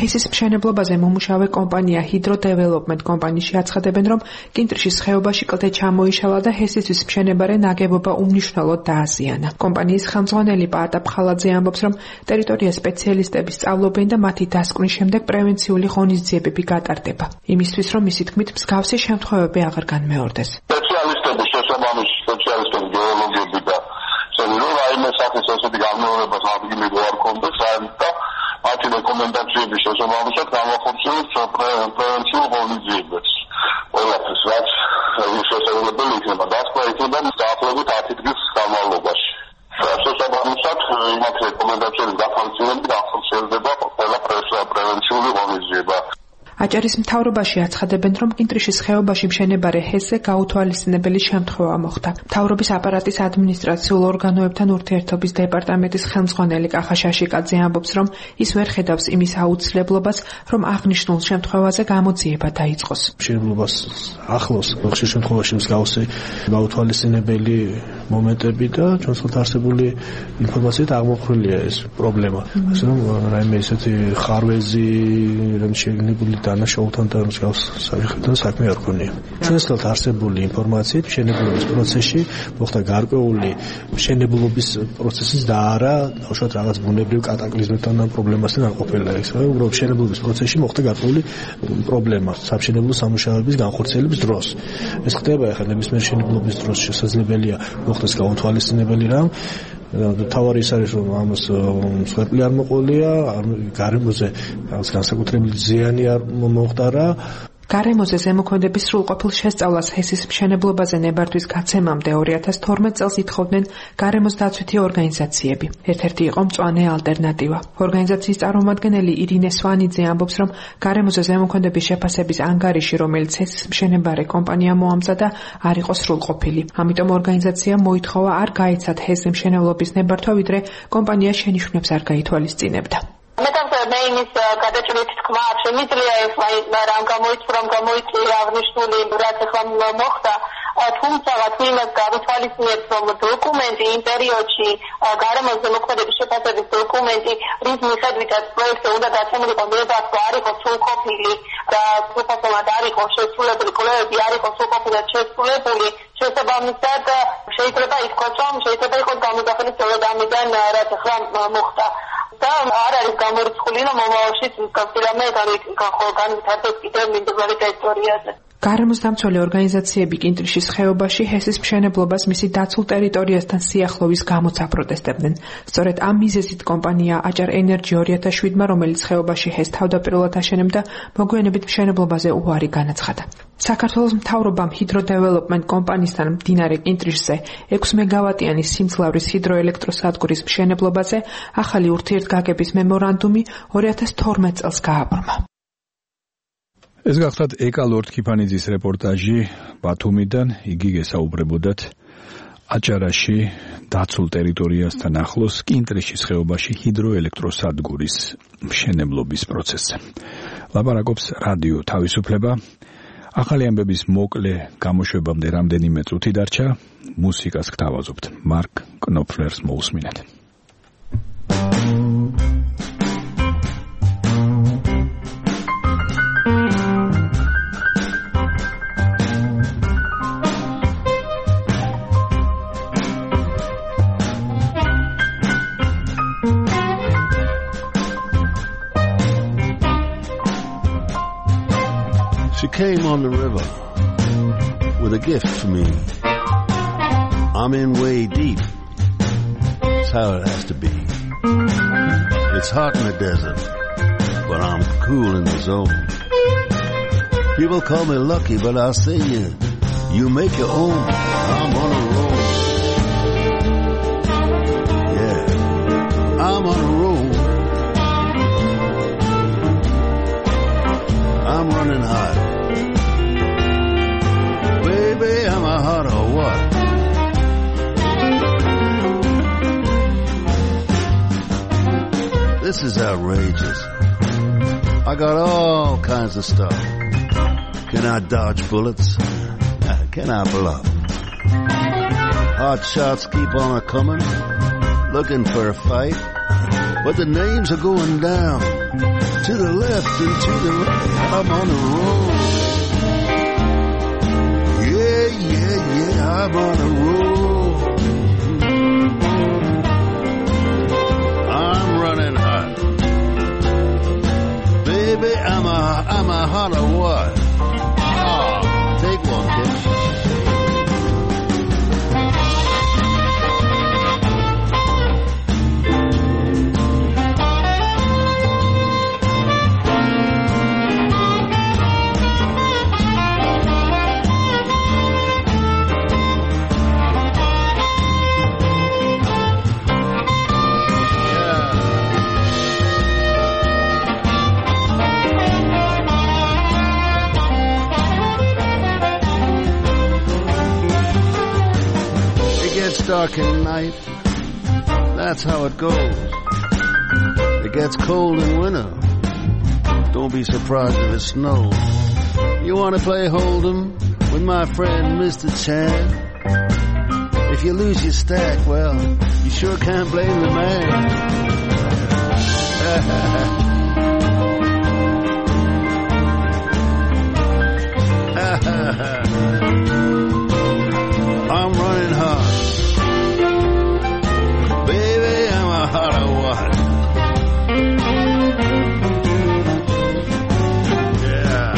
ჰესის მშენებლობაზე მომუშავე კომპანია ჰიდრო დეველოპმენტ კომპანიაში აცხადებენ, რომ კინტრიშის ხეობაში კლდე ჩამოიშალა და ჰესისთვის მშენებარე ნაგებობა უმნიშვნელოდ დააზიანა. კომპანიის ხელმძღვანელი პაატა ფხალაძე ამბობს, რომ ტერიტორია სპეციალისტები სწავლობენ და მათი დასკვნის შემდეგ პრევენციული ღონისძიებები გატარდება. იმისთვის, რომ მისი თქმით მსგავსი შემთხვევები აღარ განმეორდეს. სპეციალისტები, შესაბამისი სპეციალისტები, გეოლოგები და რომ რაიმე სახის ასეთი განმეორებას ადგილი არ კონდეს და მათი რეკომენდაციების შესაბამისად გამახორციელებს პრევენციულ ღონისძიებებს. ყველაფერს რაც შესაძლებელი იქნება, დასკვნა იქნება დაახლოებით 10 დღის განმავლობაში. შესაბამისად იმათ რეკომენდაციების გახორციელებით განხორციელდება ყველა პრევენციული ღონისძიება. აჭარის მთავრობაში აცხადებენ, რომ კინტრიშის ხეობაში მშენებარე ჰესზე გაუთვალისწინებელი შემთხვევა მოხდა. მთავრობის აპარატის ადმინისტრაციულ ორგანოებთან ურთიერთობის დეპარტამენტის ხელმძღვანელი კახა შაშიკაძე ამბობს, რომ ის ვერ ხედავს იმის აუცილებლობას, რომ აღნიშნულ შემთხვევაზე გამოძიება დაიწყოს. მშენებლობას ახლოს ხშირ შემთხვევაში მსგავსი გაუთვალისწინებელი მომენტები და ჩვენს ხელთ არსებული ინფორმაციით აღმოფხვრილია ეს პრობლემა. ასე რომ რაიმე ისეთი ხარვეზი რომ შეგნებული დანაშაულთან და მსგავს საკითხთან საქმე არ ქონია. ჩვენს ხელთ არსებული ინფორმაციით მშენებლობის პროცესში მოხდა გარკვეული მშენებლობის პროცესის და არა თავშოთ რაღაც ბუნებრივ კატაკლიზმებთან და პრობლემასთან არ ყოფილა ეს. უბრალოდ მშენებლობის პროცესში მოხდა გარკვეული პრობლემა სამშენებლო სამუშაოების განხორციელების დროს. ეს ხდება ახლა ნებისმიერ მშენებლობის დროს შესაძლებელია მოხდეს გაუთვალისწინებელი რამ თავარი ის არის რომ ამას მსხვერპლი არ მოყოლია, გარემოზე რაღაც განსაკუთრებული ზიანი არ მომხდარა. გარემოზე ზემოქმედების სრულყოფილ შესწავლას ჰესის მშენებლობაზე ნებართვის გაცემამდე 2012 წელს ითხოვდნენ გარემოს დაცვითი ორგანიზაციები. ერთ-ერთი იყო მწვანე ალტერნატივა. ორგანიზაციის წარმომადგენელი ირინე სვანიძე ამბობს, რომ გარემოზე ზემოქმედების შეფასების ანგარიში, რომელიც ჰესის მშენებარე კომპანია მოამზადა, არ იყო სრულყოფილი. ამიტომ ორგანიზაციამ მოითხოვა არ გაეცათ ჰესის მშენებლობის ნებართვა, ვიდრე კომპანია შენიშვნებს არ გაითვალისწინებდა. მე იმის გადაჭრით თქმა არ შემიძლია ეს მაგრამ გამოიწვია აღნიშნული რაც ახლა მოხდა თუმცა თუ იმას გავითვალისწინებთ რომ დოკუმენტი იმ პერიოდში გარემოს ზემოქმედების შეფასების დოკუმენტი რის მიხედვითაც პროექტზე უნდა დაცემულიყო ნებართვა არ იყო სრულყოფილი და სრულყოფილად არ იყო შესრულებული კვლევები არ იყო სრულყოფილად შესრულებული შესაბამისად შეიძლება ითქვას რომ შეიძლება იყოს გამოსახული სწორედ ამიდან რაც ახლა მოხდა და არ არის გამორიცხული რომ მომავალში გასწრამე განვითარდეს კიდევ მინდვრელი ტერიტორიაზე. გარემოს დამცველი ორგანიზაციები კინტრიშის ხეობაში ჰესის მშენებლობას მისი დაცულ ტერიტორიასთან სიახლოვის გამოც აპროტესტებდნენ. სწორედ ამ მიზეზით კომპანია აჭარ ენერჯი 2007-მა, რომელიც ხეობაში ჰეს თავდაპირველად აშენებდა, მოგვიანებით მშენებლობაზე უარი განაცხადა. საქართველოს მთავრობამ ჰიდროდეველოპმენტ კომპანიისთან მდინარე კინტრიშზე 6 მეგავატიანი სიმძლავრის ჰიდროელექტროსადგურის მშენებლობაზე ახალი ურთიერთგაგების მემორანდუმი 2012 წელს გააბრმა. ეს გახლავთ ეკა ლორდ-ქიფანიძის რეპორტაჟი ბათუმიდან. იგი გესაუბრებოდათ აჭარაში დაცულ ტერიტორიასთან ახლოს კინტრიშის ხეობაში ჰიდროელექტროსადგურის მშენებლობის პროცესზე. ლაპარაკობს რადიო თავისუფლება. ახალი ამბების მოკლე გამოშვებამდე რამდენიმე წუთი დარჩა. მუსიკას გთავაზობთ. მარკ კნოფლერს მოусმინეთ. She came on the river with a gift for me. I'm in way deep. That's how it has to be. It's hot in the desert, but I'm cool in the zone. People call me lucky, but I'll say you make your own. I'm on a roll. Yeah, I'm on a roll. I'm running hot. Baby, am I hot or what? This is outrageous. I got all kinds of stuff. Can I dodge bullets? Can I bluff? Hot shots keep on a-coming, looking for a fight. But the names are going down, to the left and to the right. I'm on the road. Yeah, I'm on a roll. I'm running hot. Baby, I'm a hot or what? Oh, take one, kid. Dark at night, that's how it goes. It gets cold in winter, don't be surprised if it snows. You want to play Hold'em with my friend Mr. Chan? If you lose your stack, well, you sure can't blame the man. I'm running hard. Hot or what? Yeah.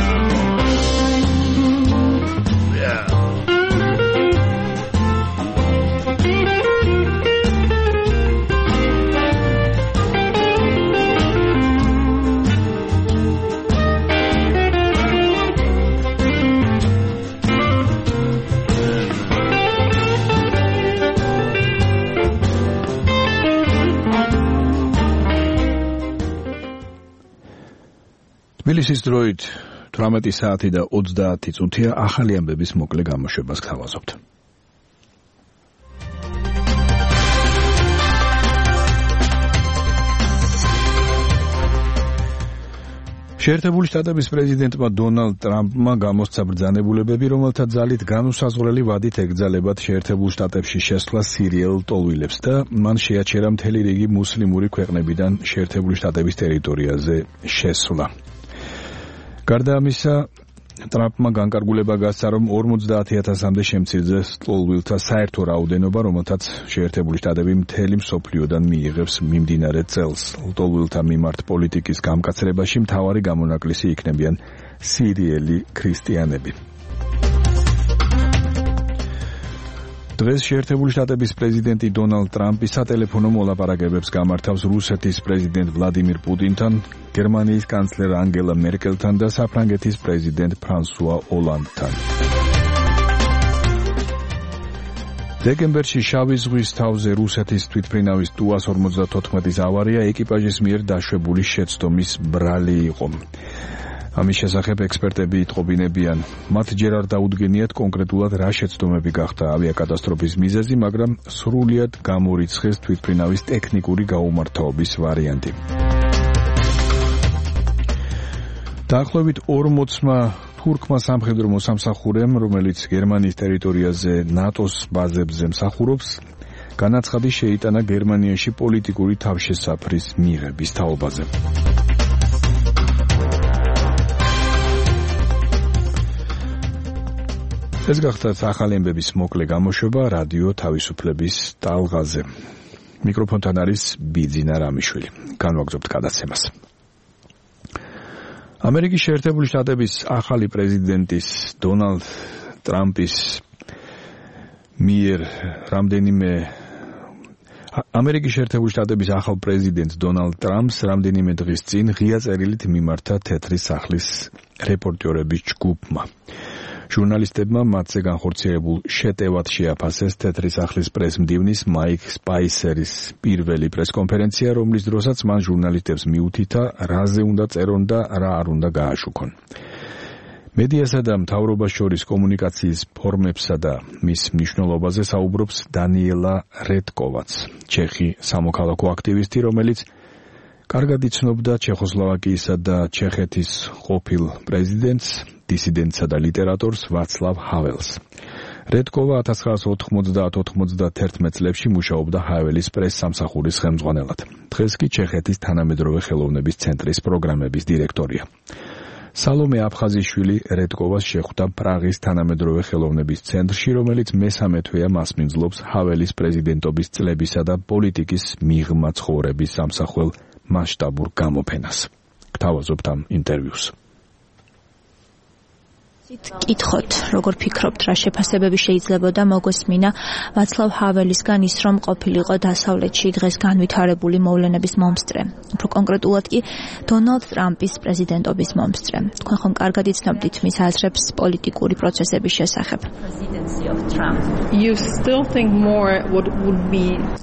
თბილისის დროით 18 საათი და 30 წუთია ახალი ამბების მოკლე გამოშვებას გთავაზობთ. შეერთებული შტატების პრეზიდენტმა დონალდ ტრამპმა გამოსცა ბრძანებულებები, რომელთა ძალით განუსაზღვრელი ვადით ეკრძალებათ შეერთებულ შტატებში შესვლა სირიელ ტოლვილებს და მან შეაჩერა მთელი რიგი მუსლიმური ქვეყნებიდან შეერთებული შტატების ტერიტორიაზე შესვლა. გარდა ამისა, ტრამპმა განკარგულება გასცა, რომ 50,000-მდე შემცირდეს ტოლვილთა საერთო რაოდენობა, რომელთაც შეერთებული შტატები მთელი მსოფლიოდან მიიღებს მიმდინარე წელს. ტოლვილთა მიმართ პოლიტიკის გამკაცრებაში მთავარი გამონაკლისი იქნებიან სირიელი ქრისტიანები. დღეს შეერთებული შტატების პრეზიდენტი დონალდ ტრამპი სატელეფონო მოლაპარაკებებს გამართავს რუსეთის პრეზიდენტ ვლადიმირ პუტინთან, გერმანიის კანცლერ ანგელა მერკელთან და საფრანგეთის პრეზიდენტ ფრანსუა ოლანდთან. დეკემბერში შავი ზღვის თავზე რუსეთის თვითმფრინავის TU-154-ის ავარია ეკიპაჟის მიერ დაშვებული შეცდომის ბრალი იყო. ამის შესახებ ექსპერტები იტყობინებიან, მათ ჯერ არ დაუდგენიათ კონკრეტულად რა შეცდომები გახდა ავიაკატასტროფის მიზეზი, მაგრამ სრულიად გამორიცხეს თვითმფრინავის ტექნიკური გაუმართავობის ვარიანტი. დაახლოებით 40-მა თურქმა სამხედრო მოსამსახურემ, რომელიც გერმანიის ტერიტორიაზე ნატოს ბაზებზე მსახურობს, განაცხადი შეიტანა გერმანიაში პოლიტიკური თავშესაფრის მიღების თაობაზე. ეს გახდათ ახალი ამბების მოკლე გამოშვება რადიო თავისუფლების ტალღაზე. მიკროფონთან არის ბიძინა რამიშვილი. განვაგრძობთ გადაცემას. ამერიკის შეერთებული შტატების ახალი პრეზიდენტის დონალდ ტრამპის მიერ ამერიკის შეერთებული შტატების ახალ პრეზიდენტ დონალდ ტრამპს რამდენიმე დღის წინ ღია წერილით მიმართა თეთრი სახლის რეპორტიორების ჯგუფმა. ჟურნალისტებმა მათზე განხორციელებულ შეტევად შეაფასეს თეთრი სახლის პრესმდივნის მაიკ სპაისერის პირველი პრესკონფერენცია, რომლის დროსაც მან ჟურნალისტებს მიუთითა, რაზე უნდა წერონ და რა არ უნდა გააშუქონ. მედიასა და მთავრობას შორის კომუნიკაციის ფორმებსა და მის მნიშვნელობაზე საუბრობს დანიელა რედკოვაც, ჩეხი სამოქალაქო აქტივისტი, რომელიც კარგად იცნობდა ჩეხოსლოვაკიისა და ჩეხეთის ყოფილ პრეზიდენტს, დისიდენტსა და ლიტერატორს ვაცლავ ჰაველს. რედკოვა 1990-91 წლებში მუშაობდა ჰაველის პრეს-სამსახურის ხელმძღვანელად. დღეს კი ჩეხეთის თანამედროვე ხელოვნების ცენტრის პროგრამების დირექტორია. სალომე აფხაზიშვილი რედკოვას შეხვდა პრაღის თანამედროვე ხელოვნების ცენტრში, რომელიც მესამე თვეა მასპინძლობს ჰაველის პრეზიდენტობის წლებისა და პოლიტიკის მიღმა ცხოვრების სამსახველ მასშტაბურ გამოფენას. გთავაზობთ ამ ინტერვიუს. კითხოთ, როგორ ფიქრობთ, რა შეფასებები შეიძლებოდა მოგესმინა ვაცლავ ჰაველისგან ის, რომ ყოფილიყო დასავლეთში დღეს განვითარებული მოვლენების მომსწრე. უფრო კონკრეტულად კი დონალდ ტრამპის პრეზიდენტობის მომსწრე. თქვენ ხომ კარგად იცნობთ მის აზრებს პოლიტიკური პროცესების შესახებ?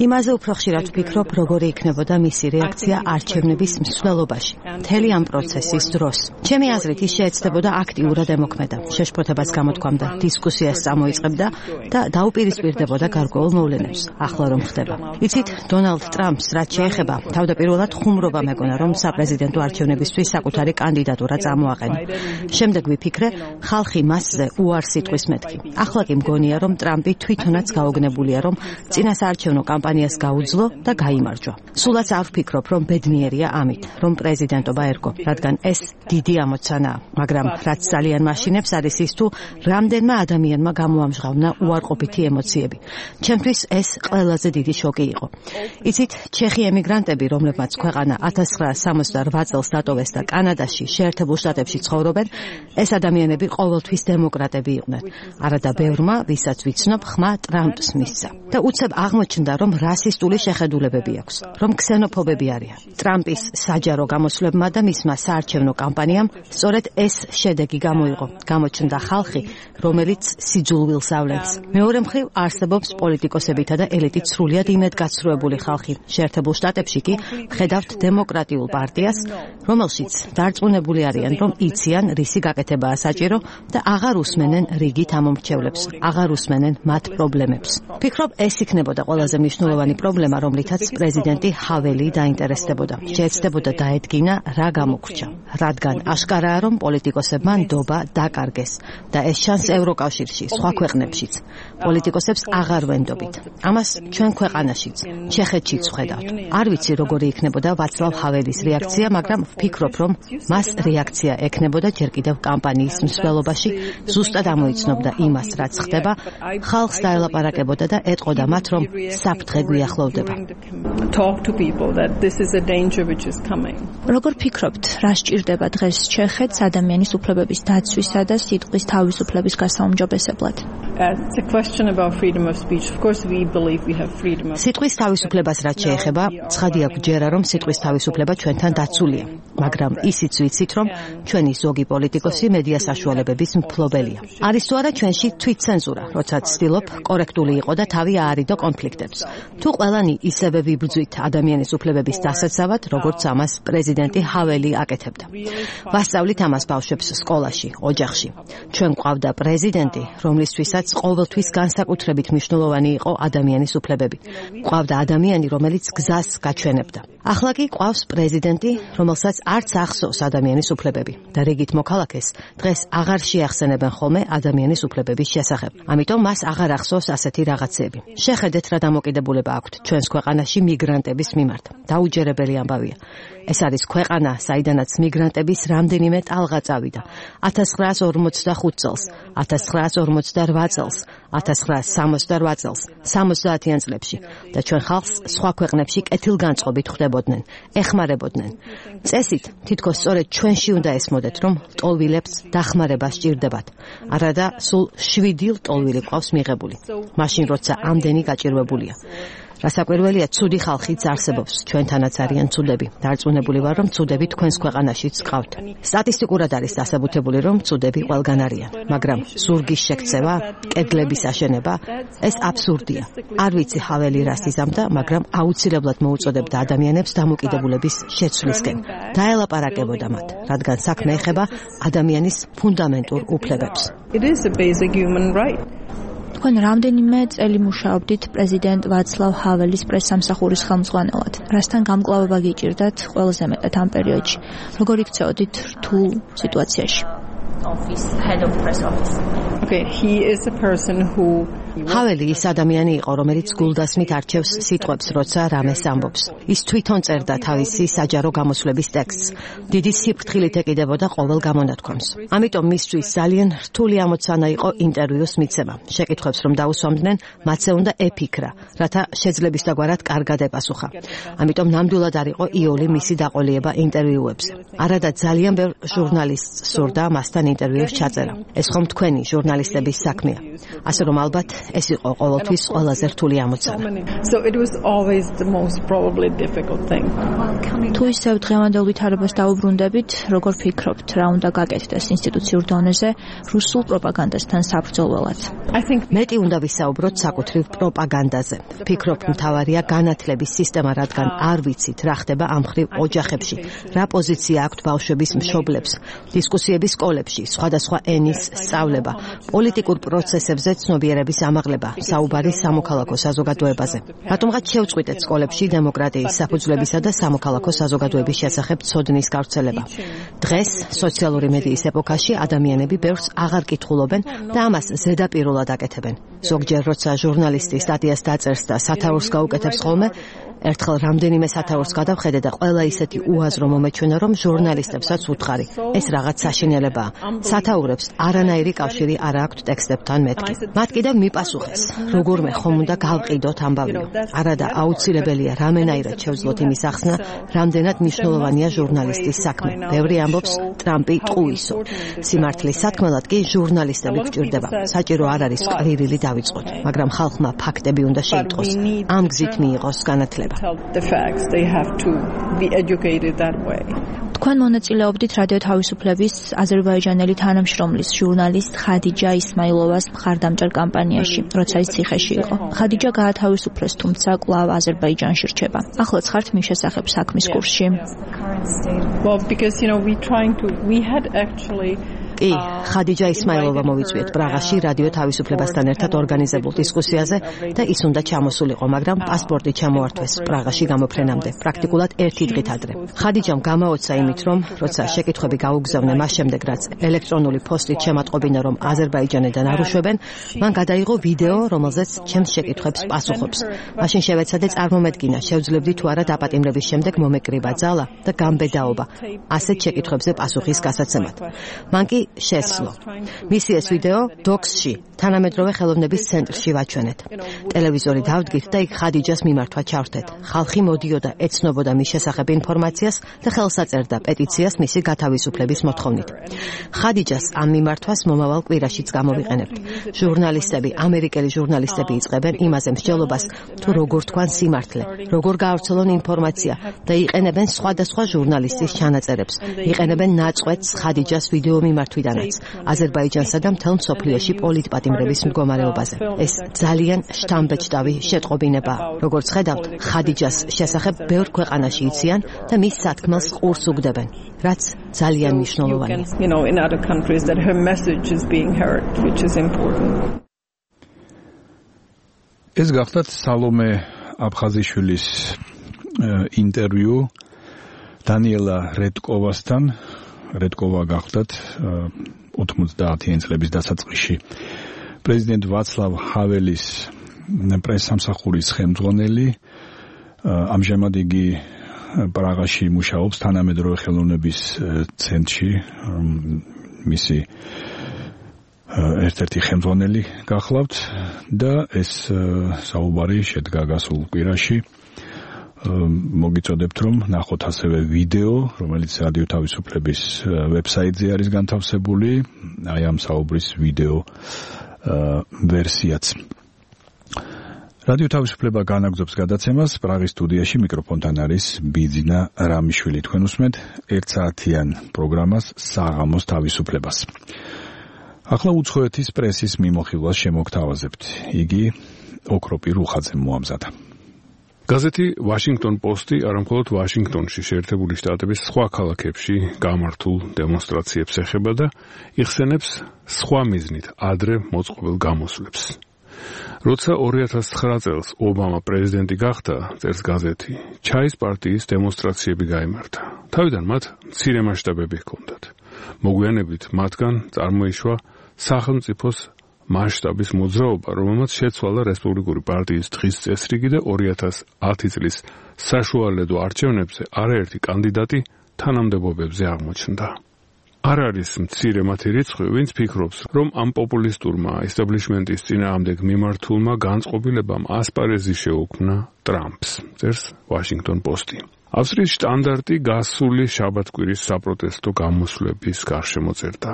იმაზე უფრო ხშირად ვფიქრობ, როგორი იქნებოდა მისი რეაქცია არჩევნების მსვლელობაში, მთელი ამ პროცესის დროს. ჩემი აზრით, ის შეეცდებოდა აქტიურად ემოქმედა. შეშფოთებას გამოთქვამდა, დისკუსიას წამოიწყებდა და დაუპირისპირდებოდა გარკვეულ მოვლენებს. ახლა რომ ხდება. იცით, დონალდ ტრამპს რაც შეეხება, თავდაპირველად ხუმრობა მეგონა, რომ საპრეზიდენტო არჩევნებისთვის საკუთარი კანდიდატურა წამოაყენა. შემდეგ ვიფიქრე, ხალხი მასზე უარს იტყვის მეთქი. ახლა კი მგონია, რომ ტრამპი თვითონაც გაოგნებულია, რომ წინასაარჩევნო კამპანიას გაუძლო და გაიმარჯვა. სულაც არ ვფიქრობ, რომ ბედნიერია ამით, რომ პრეზიდენტობა ერგო, რადგან ეს დიდი ამოცანაა, მაგრამ რაც ძალიან მაშინებს არის ის თუ რამდენმა ადამიანმა გამოამჟღავნა უარყოფითი ემოციები. ჩემთვის ეს ყველაზე დიდი შოკი იყო. იცით, ჩეხი ემიგრანტები, რომლებმაც ქვეყანა 1968 წელს დატოვეს და კანადაში, შეერთებულ შტატებში ცხოვრობენ, ეს ადამიანები ყოველთვის დემოკრატები იყვნენ. არადა ბევრმა, ვისაც ვიცნობ, ხმა ტრამპს მისცა. და უცებ აღმოჩნდა, რომ რასისტული შეხედულებები აქვს, რომ ქსენოფობები არიან. ტრამპის საჯარო გამოსვლებმა და მისმა საარჩევნო კამპანიამ სწორედ ეს შედეგი გამოიღო. გამოჩნდა ხალხი, რომელიც სიძულვილს ავლენს. მეორე მხრივ არსებობს პოლიტიკოსებითა და ელიტით სრულიად იმედგაცრუებული ხალხი. შეერთებულ შტატებში კი ხედავთ დემოკრატიულ პარტიას, რომელშიც დარწმუნებული არიან, რომ იციან, რისი გაკეთებაა საჭირო და აღარ უსმენენ რიგით ამომრჩევლებს, აღარ უსმენენ მათ პრობლემებს. ვფიქრობ, ეს იქნებოდა ყველაზე მნიშვნელოვანი პრობლემა, რომლითაც პრეზიდენტი ჰაველი დაინტერესდებოდა. შეეცდებოდა დაედგინა, რა გამოგრჩა, რადგან აშკარაა, რომ პოლიტიკოსებმა ნდობა დაკარგეს და ეს ჩანს ევროკავშირში, სხვა ქვეყნებშიც. პოლიტიკოსებს აღარ ვენდობით. ამას ჩვენ ქვეყანაშიც, ჩეხეთშიც ვხედავთ. არ ვიცი, როგორი იქნებოდა ვაცლავ ჰაველის რეაქცია, მაგრამ ვფიქრობ, რომ მას რეაქცია ექნებოდა ჯერ კიდევ კამპანიის მსვლელობაში, ზუსტად ამოიცნობდა იმას, რაც ხდება, ხალხს დაელაპარაკებოდა და ეტყოდა მათ, რომ საფრთხე გვიახლოვდება. როგორ ფიქრობთ, რა სჭირდება დღეს ჩეხეთს ადამიანის უფლებების დაცვისა და სიტყვის თავისუფლების გასაუმჯობესებლად? სიტყვის თავისუფლებას რაც შეეხება, ცხადია გვჯერა, რომ სიტყვის თავისუფლება ჩვენთან დაცულია, მაგრამ ისიც ვიცით, რომ ჩვენი ზოგი პოლიტიკოსი მედია საშუალებების მფლობელია. არის თუ არა ჩვენში თვითცენზურა, როცა ცდილობ კორექტული იყო და თავი აარიდო კონფლიქტებს. თუ ყველანი ისევე ვიბრძვით ადამიანის უფლებების დასაცავად, როგორც ამას პრეზიდენტი ჰაველი აკეთებდა. ვასწავლით ამას ბავშვებს სკოლაში, ოჯახში. ჩვენ გვყავდა პრეზიდენტი, რომლისთვისაც ყოველთვის განსაკუთრებით მნიშვნელოვანი იყო ადამიანის უფლებები. გვყავდა ადამიანი, რომელიც გზას გაჩვენებდა. ახლა კი გვყავს პრეზიდენტი, რომელსაც არც ახსოვს ადამიანის უფლებები და რიგით მოქალაქეს დღეს აღარ შეახსენებენ ხოლმე ადამიანის უფლებების შესახებ. ამიტომ მას აღარ ახსოვს ასეთი რაღაცები. შეხედეთ, რა დამოკიდებულება აქვთ ჩვენს ქვეყანაში მიგრანტების მიმართ. დაუჯერებელი ამბავია. ეს არის ქვეყანა, საიდანაც მიგრანტების რამდენიმე ტალღა წავიდა. 1945 წელს, 1948 წელს, 1968 წელს, 70-იან წლებში და ჩვენ ხალხს სხვა ქვეყნებში კეთილგანწყობით ხვდებოდნენ, ეხმარებოდნენ. წესით, თითქოს სწორედ ჩვენში უნდა ესმოდეთ, რომ ლტოლვილებს დახმარება სჭირდებათ. არადა სულ 7 ლტოლვილი ყავს მიღებული. მაშინ როცა ამდენი გაჭირვებულია. რასაკვირველია, ცუდი ხალხიც არსებობს, ჩვენთანაც არიან ცუდები. დარწმუნებული ვარ, რომ ცუდები თქვენს ქვეყანაშიც გყავთ. სტატისტიკურად არის დასაბუთებული, რომ ცუდები ყველგან არიან, მაგრამ ზურგის შექცევა, კედლების აშენება, ეს აბსურდია. არ ვიცი ჰაველი რას იზამდა, მაგრამ აუცილებლად მოუწოდებდა ადამიანებს დამოკიდებულების შეცვლისკენ. დაელაპარაკებოდა მათ, რადგან საქმე ეხება ადამიანის ფუნდამენტურ უფლებებს. თქვენ რამდენიმე წელი მუშაობდით პრეზიდენტ ვაცლავ ჰაველის პრესსამსახურის ხელმძღვანელად. რასთან გამკლავება გიჭირდათ ყველაზე მეტად ამ პერიოდში? როგორ იქცეოდით რთულ სიტუაციაში? ჰაველი ის ადამიანი იყო, რომელიც გულდასმით არჩევს სიტყვებს, როცა რამეს ამბობს. ის თვითონ წერდა თავისი საჯარო გამოსვლების ტექსტს. დიდი სიფრთხილით ეკიდებოდა ყოველ გამონათქვამს. ამიტომ მისთვის ძალიან რთული ამოცანა იყო ინტერვიუს მიცემა. შეკითხვებს რომ დაუსვამდნენ, მათზე უნდა ეფიქრა, რათა შეძლებისდაგვარად კარგად ეპასუხა. ამიტომ ნამდვილად არ იყო იოლი მისი დაყოლიება ინტერვიუებზე. არადა ძალიან ბევრ ჟურნალისტს სურდა მასთან ინტერვიუს ჩაწერა. ეს ხომ თქვენი ჟურნალისტების საქმეა. ასე რომ ალბათ ეს იყო ყოველთვის ყველაზე რთული ამოცანა. თუ ისევ დღევანდელ ვითარებას დაუბრუნდებით, როგორ ფიქრობთ, რა უნდა გაკეთდეს ინსტიტუციურ დონეზე რუსულ პროპაგანდასთან საბრძოლველად? მეტი უნდა ვისაუბროთ საკუთრივ პროპაგანდაზე. ფიქრობ, მთავარია განათლების სისტემა, რადგან არ ვიცით, რა ხდება ამ მხრივ ოჯახებში, რა პოზიცია აქვთ ბავშვების მშობლებს, დისკუსიები სკოლებში, სხვადასხვა ენის სწავლება, პოლიტიკურ პროცესებზე ცნობიერების ამაღლება, საუბარი სამოქალაქო საზოგადოებაზე. რატომღაც შევწყვიტეთ სკოლებში დემოკრატიის საფუძვლებისა და სამოქალაქო საზოგადოების შესახებ ცოდნის გავრცელება. დღეს სოციალური მედიის ეპოქაში ადამიანები ბევრს აღარ კითხულობენ და ამას ზედაპირულად აკეთებენ. ზოგჯერ როცა ჟურნალისტი სტატიას დაწერს და სათაურს გაუკეთებს ხოლმე, ერთხელ რამდენიმე სათაურს გადავხედე და ყველა ისეთი უაზრო მომეჩვენა, რომ ჟურნალისტებსაც უთხარი. ეს რაღაც საშინელებაა. სათაურებს არანაირი კავშირი არ აქვთ ტექსტებთან მეთქი. მათ კიდევ მიპასუხეს, როგორმე ხომ უნდა გავყიდოთ ამბავიო. არადა აუცილებელია რამენაირად შევძლოთ იმის ახსნა, რამდენად მნიშვნელოვანია ჟურნალისტის საქმე. ბევრი ამბობს, ტრამპი ტყუისო. სიმართლის სათქმელად კი ჟურნალისტები გვჭირდება. საჭირო არ არის ყვირილი დავიწყოთ, მაგრამ ხალხმა ფაქტები უნდა შეიტყოს. ამ გზით მიიღოს განათლება. თქვენ მონაწილეობდით რადიო თავისუფლების აზერბაიჯანელი თანამშრომლის ჟურნალისტ ხადიჯა ისმაილოვას მხარდამჭერ კამპანიაში, როცა ის ციხეში იყო. ხადიჯა გაათავისუფლეს, თუმცა კვლავ აზერბაიჯანში რჩება. ახლაც ხართ მის შესახებ საქმის კურსში. კი, ხადიჯა ისმაილოვა მოვიწვიეთ პრაღაში რადიო თავისუფლებასთან ერთად ორგანიზებულ დისკუსიაზე და ის უნდა ჩამოსულიყო, მაგრამ პასპორტი ჩამოართვეს პრაღაში გამოფრენამდე, პრაქტიკულად 1 დღით ადრე. ხადიჯამ გამაოცა იმით, რომ როცა შეკითხვები გაუგზავნე მას შემდეგ, რაც ელექტრონული პოსტით შემატყობინა, რომ აზერბაიჯანიდან არ უშვებენ, მან გადაიღო ვიდეო, რომელზეც ჩემს შეკითხვებს პასუხობს. მაშინ შევეცადე წარმომედგინა, შევძლებდი თუ არა დაპატიმრების შემდეგ მომეკრიბა ძალა და გამბედაობა ასეთ შეკითხვებზე პასუხის გასაცემად. მან კი შესძლო. მისი ეს ვიდეო დოქსში, თანამედროვე ხელოვნების ცენტრში ვაჩვენეთ. ტელევიზორი დავდგით და იქ ხადიჯას მიმართვა ჩავრთეთ. ხალხი მოდიოდა, ეცნობოდა მის შესახებ ინფორმაციას და ხელს აწერდა პეტიციას მისი გათავისუფლების მოთხოვნით. ხადიჯას ამ მიმართვას მომავალ კვირაშიც გამოვიყენებთ. ჟურნალისტები, ამერიკელი ჟურნალისტები იწყებენ იმაზე მსჯელობას, თუ როგორ თქვან სიმართლე, როგორ გაავრცელონ ინფორმაცია და იყენებენ სხვადასხვა ჟურნალისტის ჩანაწერებს. იყენებენ ნაწყვეტს ხადიჯას ვიდეო მიმართვიდანაც აზერბაიჯანსა და მთელ მსოფლიოში პოლიტპატიმრების მდგომარეობაზე. ეს ძალიან შთამბეჭდავი შეტყობინებაა. როგორც ხედავთ, ხადიჯას შესახებ ბევრ ქვეყანაში იციან და მის სათქმელს ყურს უგდებენ, რაც ძალიან მნიშვნელოვანია. ეს გახლავთ სალომე აფხაზიშვილის ინტერვიუ დანიელა რედკოვასთან. რედკოვა გახლავთ 90-იანი წლების დასაწყისში პრეზიდენტ ვაცლავ ჰაველის პრესსამსახურის ხელმძღვანელი. ამჟამად იგი პრაღაში მუშაობს თანამედროვე ხელოვნების ცენტრში, მისი ერთ-ერთი ხელმძღვანელი გახლავთ და ეს საუბარი შედგა გასულ კვირაში. მოგიწოდებთ, რომ ნახოთ ასევე ვიდეო, რომელიც რადიო თავისუფლების ვებსაიტზე არის განთავსებული, აი ამ საუბრის ვიდეო ვერსიაც. რადიო თავისუფლება განაგრძობს გადაცემას, პრაღის სტუდიაში მიკროფონთან არის ბიძინა რამიშვილი. თქვენ უსმენთ 1 საათიან პროგრამას საღამოს თავისუფლებას. ახლა უცხოეთის პრესის მიმოხილვას შემოგთავაზებთ. იგი ოქროპი რუხაძემ მოამზადა. გაზეთი ვაშინგტონ პოსტი არამხოლოდ ვაშინგტონში შეერთებული შტატების სხვა ქალაქებში გამართულ დემონსტრაციებს ეხება და იხსენებს სხვა მიზნით ადრე მოწყობილ გამოსვლებს. როცა 2009 წელს ობამა პრეზიდენტი გახდა, წერს გაზეთი, ჩაის პარტიის დემონსტრაციები გაიმართა. თავიდან მათ მცირე მასშტაბები ჰქონდათ. მოგვიანებით მათგან წარმოიშვა სახელმწიფოს მასშტაბის მოძრაობა, რომელმაც შეცვალა რესპუბლიკური პარტიის დღის წესრიგი და 2010 წლის საშუალედო არჩევნებზე არაერთი კანდიდატი თანამდებობებზე აღმოჩნდა. არ არის მცირე მათი რიცხვი, ვინც ფიქრობს, რომ ამ პოპულისტურმა ესტაბლიშმენტის წინააღმდეგ მიმართულმა განწყობილებამ ასპარეზი შეუქმნა ტრამპს, წერს ვაშინგტონ პოსტი. ავსტრიის შტანდარტი გასული შაბათკვირის საპროტესტო გამოსვლების გარშემო წერდა.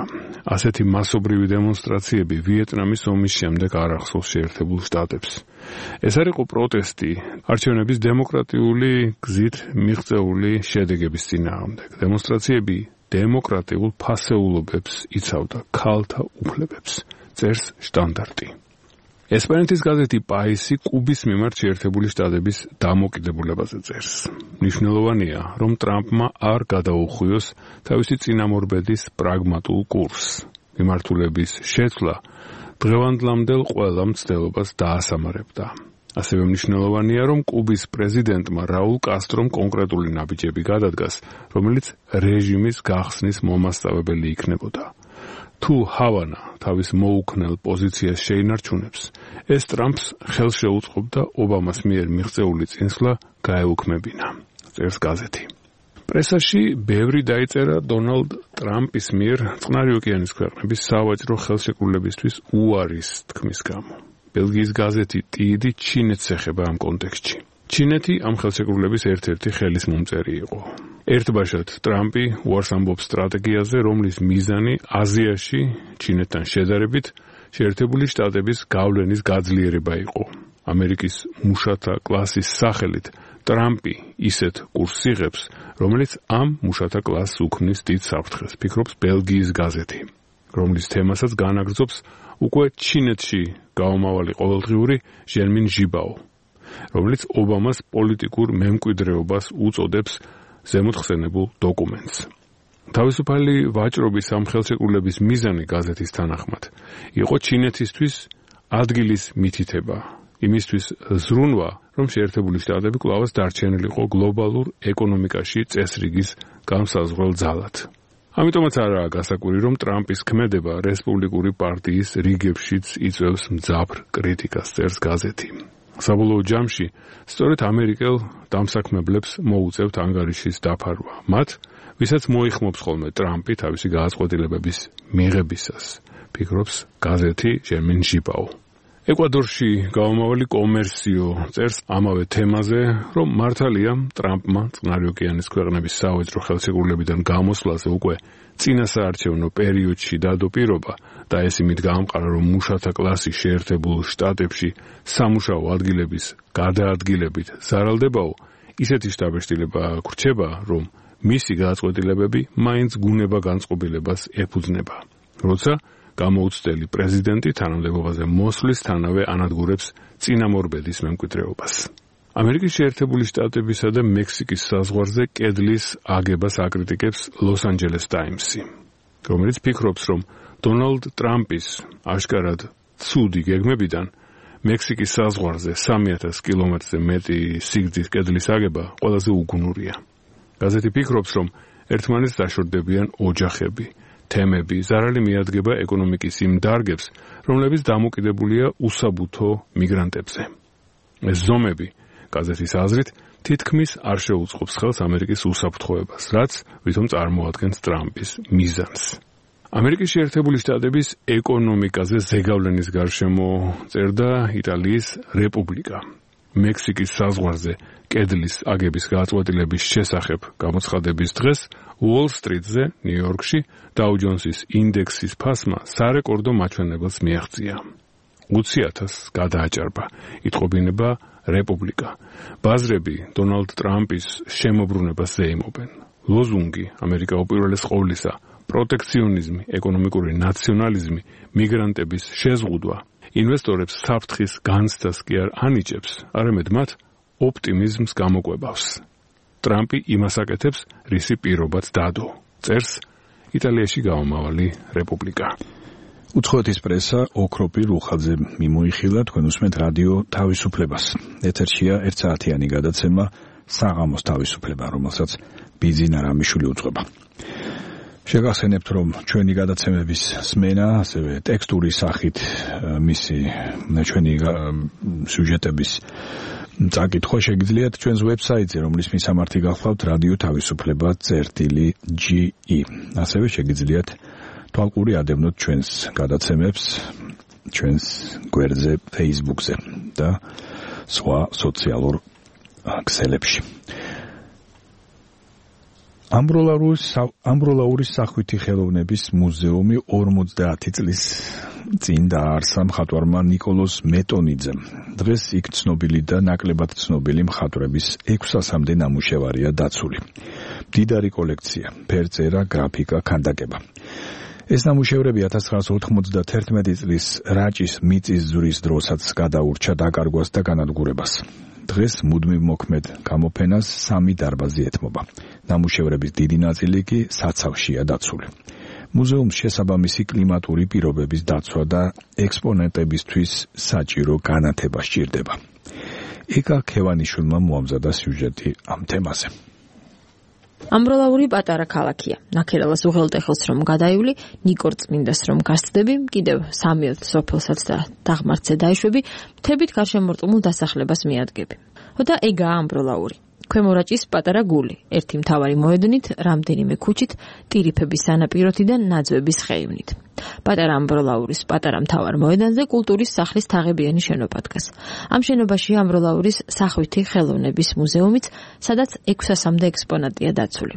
ასეთი მასობრივი დემონსტრაციები ვიეტნამის ომის შემდეგ არ ახსოვს შეერთებულ შტატებს. ეს არ იყო პროტესტი არჩევნების დემოკრატიული გზით მიღწეული შედეგების წინააღმდეგ. დემონსტრაციები დემოკრატიულ ფასეულობებს იცავდა, ქალთა უფლებებს, წერს შტანდარტი. ესპანეთის გაზეთი პაისი კუბის მიმართ შეერთებული შტატების დამოკიდებულებაზე წერს. მნიშვნელოვანია, რომ ტრამპმა არ გადაუხვიოს თავისი წინამორბედის პრაგმატულ კურსს. მიმართულების შეცვლა დღევანდლამდელ ყველა მცდელობას დაასამარებდა. ასევე მნიშვნელოვანია, რომ კუბის პრეზიდენტმა რაულ კასტრომ კონკრეტული ნაბიჯები გადადგას, რომელიც რეჟიმის გახსნის მომასწავებელი იქნებოდა. თუ ჰავანა თავის მოუქნელ პოზიციას შეინარჩუნებს, ეს ტრამპს ხელს შეუწყობდა ობამას მიერ მიღწეული წინსვლა გაეუქმებინა, წერს გაზეთი. პრესაში ბევრი დაიწერა დონალდ ტრამპის მიერ წყნარი ოკეანის ქვეყნების სავაჭრო ხელშეკრულებისთვის უარის თქმის გამო. ბელგიის გაზეთი ტიდი ჩინეთს ეხება ამ კონტექსტში. ჩინეთი ამ ხელშეკრულების ერთ-ერთი ხელისმომწერი იყო. ერთბაშად ტრამპი უარს ამბობს სტრატეგიაზე, რომლის მიზანი აზიაში ჩინეთთან შედარებით შეერთებული შტატების გავლენის გაძლიერება იყო. ამერიკის მუშათა კლასის სახელით ტრამპი ისეთ კურსს იღებს, რომელიც ამ მუშათა კლასს უქმნის დიდ საფრთხეს, ფიქრობს ბელგიის გაზეთი, რომლის თემასაც განაგრძობს უკვე ჩინეთში გაომავალი ყოველდღიური ჟერმინ ჟიბაო, რომელიც ობამას პოლიტიკურ მემკვიდრეობას უწოდებს ზემოთხსენებულ დოკუმენტს. თავისუფალი ვაჭრობის ამ ხელშეკრულების მიზანი გაზეთის თანახმად იყო ჩინეთისთვის ადგილის მითითება, იმისთვის ზრუნვა, რომ შეერთებული შტატები კვლავაც დარჩენილიყო გლობალურ ეკონომიკაში წესრიგის განსაზღვრელ ძალად. ამიტომაც არაა გასაკვირი, რომ ტრამპის ქმედება რესპუბლიკური პარტიის რიგებშიც იწვევს მძაფრ კრიტიკას, წერს გაზეთი. საბოლოო ჯამში სწორედ ამერიკელ დამსაქმებლებს მოუწევთ ანგარიშის დაფარვა. მათ, ვისაც მოიხმობს ხოლმე ტრამპი თავისი გადაწყვეტილებების მიღებისას, ფიქრობს გაზეთი ჟერმინ ჟიბაო. ეკვადორში გაომავალი კომერსიო წერს ამავე თემაზე, რომ მართალია ტრამპმა წყნარი ოკეანის ქვეყნების სავაჭრო ხელშეკრულებიდან გამოსვლაზე უკვე წინასაარჩევნო პერიოდში დადო პირობა და ეს იმით გაამყარა, რომ მუშათა კლასი შეერთებულ შტატებში სამუშაო ადგილების გადაადგილებით ზარალდებაო, ისეთი შთაბეჭდილება გრჩება, რომ მისი გადაწყვეტილებები მაინც გუნება განწყობილებას ეფუძნება. როცა გამოუცდელი პრეზიდენტი თანამდებობაზე მოსვლისთანავე ანადგურებს წინამორბედის მემკვიდრეობას. ამერიკის შეერთებული შტატებისა და მექსიკის საზღვარზე კედლის აგებას აკრიტიკებს ლოს-ანჯელეს ტაიმსი, რომელიც ფიქრობს, რომ დონალდ ტრამპის აშკარად ცუდი გეგმებიდან მექსიკის საზღვარზე 3000 კილომეტრზე მეტი სიგრძის კედლის აგება ყველაზე უგუნურია. გაზეთი ფიქრობს, რომ ერთმანეთს დაშორდებიან ოჯახები, თემები, ზარალი მიადგება ეკონომიკის იმ დარგებს, რომლებიც დამოკიდებულია უსაბუთო მიგრანტებზე. ეს ზომები, გაზეთის აზრით, თითქმის არ შეუწყობს ხელს ამერიკის უსაფრთხოებას, რაც ვითომ წარმოადგენს ტრამპის მიზანს. ამერიკის შეერთებული შტატების ეკონომიკაზე ზეგავლენის გარშემო წერდა იტალიის რეპუბლიკა. მექსიკის საზღვარზე კედლის აგების გადაწყვეტილების შესახებ გამოცხადების დღეს უოლ-სტრიტზე, ნიუ-იორკში, დაუ ჯონსის ინდექსის ფასმა სარეკორდო მაჩვენებელს მიაღწია. 20,000 გადააჭარბა, იტყობინება რეპუბლიკა. ბაზრები დონალდ ტრამპის შემოbrunებას ზეიმობენ. ლოზუნგი ამერიკა უპირველეს ყოვლისა, პროტექციონიზმი, ეკონომიკური ნაციონალიზმი, მიგრანტების შეზღუდვა ინვესტორებს საფრთხის განცდას კი არ ანიჭებს, არამედ მათ ოპტიმიზმს გამოკვებავს. ტრამპი იმას აკეთებს, რისი პირობაც დადო, წერს იტალიაში გაომავალი რეპუბლიკა. უცხოეთის პრესა ოქროპი რუხაძე მიმოიხილა, თქვენ უსმენთ რადიო თავისუფლებას. ეთერშია 1 საათიანი გადაცემა საღამოს თავისუფლება, რომელსაც ბიზინა რამიშვილი უძღვება. შეგახსენებთ, რომ ჩვენი გადაცემების სმენა, ასევე ტექსტური სახით მისი ჩვენი სიუჟეტების წაკითხვა შეგიძლიათ ჩვენს ვებსაიტზე, რომლის მისამართი გახლავთ რადიო თავისუფლება.ge. ასევე შეგიძლიათ თვალყური ადევნოთ ჩვენს გადაცემებს ჩვენს გვერდზე Facebook-ზე და სხვა სოციალურ ქსელებში. ამბროლაურის სახვითი ხელოვნების მუზეუმი 50 წლის წინ დააარსა მხატვარმა ნიკოლოზ მეტონიძემ. დღეს იქ ცნობილი და ნაკლებად ცნობილი მხატვრების 600-მდე ნამუშევარია დაცული. მდიდარი კოლექცია, ფერწერა, გრაფიკა, ქანდაკება. ეს ნამუშევრები 1991 წლის რაჭის მიწისძვრის დროსაც გადაურჩა დაკარგვას და განადგურებას. დღეს მუდმივ მოქმედ გამოფენას 3 დარბაზი ეთმობა. ნამუშევრების დიდი ნაწილი კი საცავშია დაცული. მუზეუმს შესაბამისი კლიმატური პირობების დაცვა და ექსპონენტებისთვის საჭირო განათება სჭირდება. ეკა ქევანიშვილმა მოამზადა სიუჟეტი ამ თემაზე. ამბროლაური პატარა ქალაქია. ნაქერალას უღელტეხილს რომ გადაივლი, ნიკორ წმინდას რომ გასწდები, კიდევ 3 სოფელსაც და დაღმართზე დაიშვები, მთებით გარშემორტყმულ დასახლებას მიადგები. და ეგაა ამბროლაური. ქვემო რაჭის პატარა გული, ერთი მთავარი მოედნით, რამდენიმე ქუჩით, ტირიფების სანაპიროთიდან ნაძვების ხეივნით. პატარა ამბროლაურის პატარა მთავარ მოედანზე კულტურის სახლის თაღებიანი შენობა დგას. ამ შენობაში ამბროლაურის სახვითი ხელოვნების მუზეუმიც, სადაც 600-მდე ექსპონატია დაცული.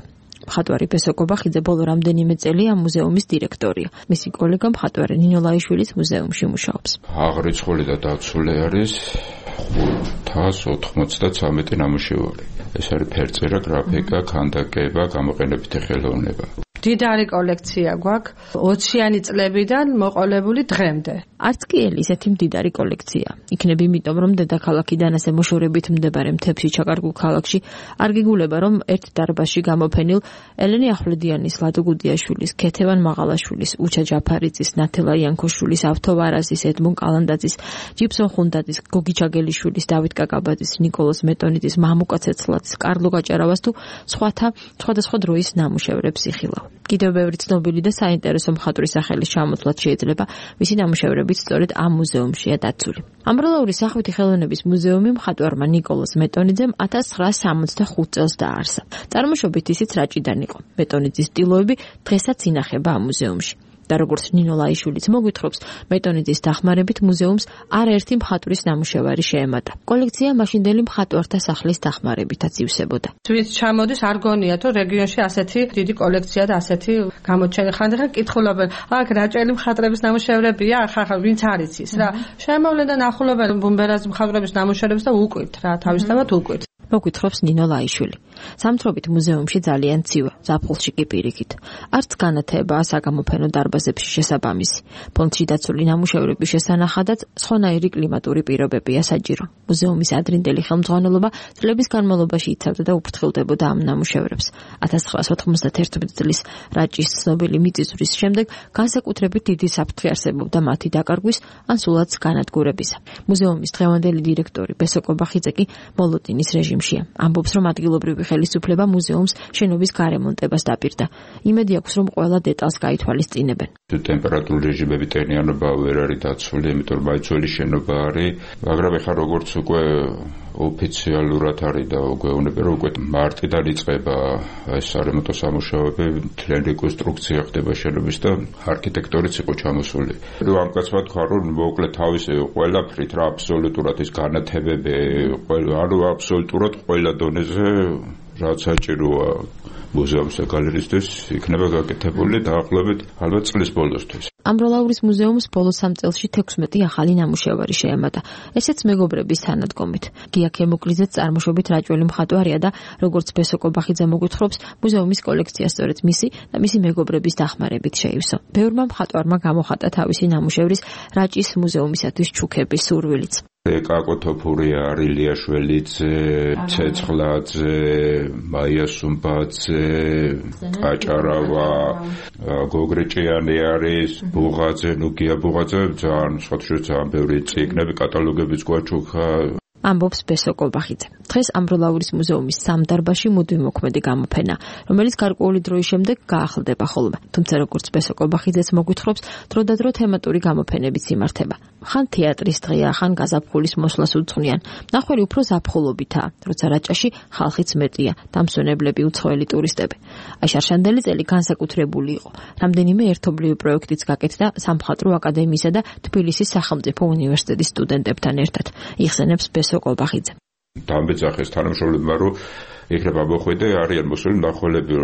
მხატვარი ბესო კობახიძე ბოლო რამდენიმე წელია მუზეუმის დირექტორია. მისი კოლეგა მხატვარი ნინო ლაიშვილიც მუზეუმში მუშაობს. აღრიცხული და დაცული არის 593 ნამუშევარი. ეს არის ფერწერა, გრაფიკა, ქანდაკება, გამოყენებითი ხელოვნება. დიდარი კოლექცია გვაქვს 20-იანი წლებიდან მოყოლებული დღემდე. არც კი ისეთი მდიდარი კოლექცია. იქნებ იმიტომ, რომ დედაქალაქიდან ასე მოშორებით მდებარე მთებში ჩაკარგულ ქალაქში არ გიგულება, რომ ერთ დარბაზში გამოფენილ ელენე ახვლედიანის, ლადო გუდიაშვილის, ქეთევან მაღალაშვილის, უჩა ჯაფარიძის, ნათელა იანქოშვილის, ავთო ვარაზის, ედმონ კალანდაძის, ჯიფსონ ხუნდაძის, გოგი ჩაგელიშვილის, დავით კაკაბაძის, ნიკოლოზ მეტონიძის, მამუკა ცეცხლაძის, კარლო გაჭარავას თუ სხვადასხვა დროის ნამუშევრებს იხილავ. კიდევ ბევრი ცნობილი და საინტერესო მხატვრის სახელის ჩამოთვლაც შეიძლება, მისი ნამუშევრებიც სწორედ ამ მუზეუმშია დაცული. ამბროლაური სახვითი ხელოვნების მუზეუმი მხატვარმა ნიკოლოზ მეტონიძემ 1965 წელს დააარსა. წარმოშობით ისიც რაჭიდან იყო. მეტონიძის სტილოები დღესაც ინახება ამ მუზეუმში. და როგორც ნინო ლაიშვილიც მოგვითხრობს, მეტონიძის დახმარებით მუზეუმს არაერთი მხატვრის ნამუშევარი შეემატა. კოლექცია მაშინდელი მხატვართა სახლის დახმარებითაც ივსებოდა. ვინც ჩამოდის, არ გონია თუ რეგიონში ასეთი დიდი კოლექცია და ასეთი გამოჩენი. ხანდახან კითხულობენ, აქ რაჭელი მხატვრების ნამუშევრებია, ახლა ვინც არის ის რა. შემოვლენ და ნახულობენ ბუმბერას მხატვრების ნამუშევრებს და უკვირთ რა, თავისთავად უკვირთ. მოგვითხრობს ნინო ლაიშვილი. სამთრობით მუზეუმში ძალიან ცივა, ზაფხულში კი პირიქით. არც განათებაა საგამოფენო დარბაზებში შესაბამისი. ფონდში დაცული ნამუშევრების შესანახადაც სხვანაირი კლიმატური პირობებია საჭირო. მუზეუმის ადრინდელი ხელმძღვანელობა წლების განმავლობაში იცავდა და უფრთხილდებოდა ამ ნამუშევრებს. 1991 წლის რაჭის ცნობილი მიწისძვრის შემდეგ განსაკუთრებით დიდი საფრთხე არსებობდა მათი დაკარგვის ან სულაც განადგურებისა. მუზეუმის დღევანდელი დირექტორი ბესო კობახიძე კი მოლოდინის რეჟიმშია. ამბობს, რომ ადგილობრივი ხელისუფლება მუზეუმს შენობის გარემონტებას დაპირდა. იმედი აქვს, რომ ყველა დეტალს გაითვალისწინებენ. ტემპერატურული რეჟიმები ტენიანობა ვერ არის დაცული, იმიტომ რომ მაიცველი შენობა არის, მაგრამ ეხლა როგორც უკვე ოფიციალურად არის და გვეუბნება, რომ უკვე მარტიდან იწყება ეს სარემონტო სამუშაოები, მთლიანი რეკონსტრუქცია ხდება შენობის და არქიტექტორიც იყო ჩამოსული. ამ კაცმა თქვა, რომ მოკლედ თავისი ყველაფრით რა აბსოლუტურად ის განათებები, ანუ აბსოლუტურად ყველა დონეზე რაც საჭიროა მუზეუმს და გალერეისთვის იქნება გაკეთებული დაახლოებით ალბათ წლის ბოლოსთვის. ამბროლაურის მუზეუმს ბოლო 3 წელში 16 ახალი ნამუშევარი შეემატა. ესეც მეგობრების თანადგომით. გია ქემუკლიძეც წარმოშობით რაჭველი მხატვარია და როგორც ბესო კობახიძე მოგვითხრობს, მუზეუმის კოლექცია სწორედ მისი და მისი მეგობრების დახმარებით შეივსო. ბევრმა მხატვარმა გამოხატა თავისი ნამუშევრის რაჭის მუზეუმისათვის ჩუქების სურვილიც. კაკო თოფურია, ილიაშველიძე, ცეცხლაძე, მაია სუმბაძე, ყაჭარავა, გოგრეჭიანი არის, ბუღაძე, ნუგია ბუღაძე, ძალიან ბევრი წიგნები, კატალოგებიც გვაჩუქა. ამბობს ბესო კობახიძე. დღეს ამბროლაურის მუზეუმის სამდარბაზში მუდმივმოქმედი გამოფენა, რომელიც გარკვეული დროის შემდეგ გაახლდება ხოლმე. თუმცა როგორც ბესო კობახიძეც მოგვითხრობს, დროდადრო თემატური გამოფენებიც იმართება. ხან თეატრის დღეა, ხან გაზაფხულის მოსვლას უძღვნიან. ნახველი უფრო ზაფხულობითაა, როცა რაჭაში ხალხიც მეტია, დამსვენებლები, უცხოელი ტურისტები. აი შარშანდელი წელი განსაკუთრებული იყო. რამდენიმე ერთობლივი პროექტიც გაკეთდა სამხატვრო აკადემიისა და თბილისის სახელმწიფო უნივერსიტეტის სტუდენტებთან ერთად. იხსენებს ბესო კობახიძე. დამბეძახეს თანამშრომლებმა, რომ იქნება მოხვედე, არიან მოსული მნახველები,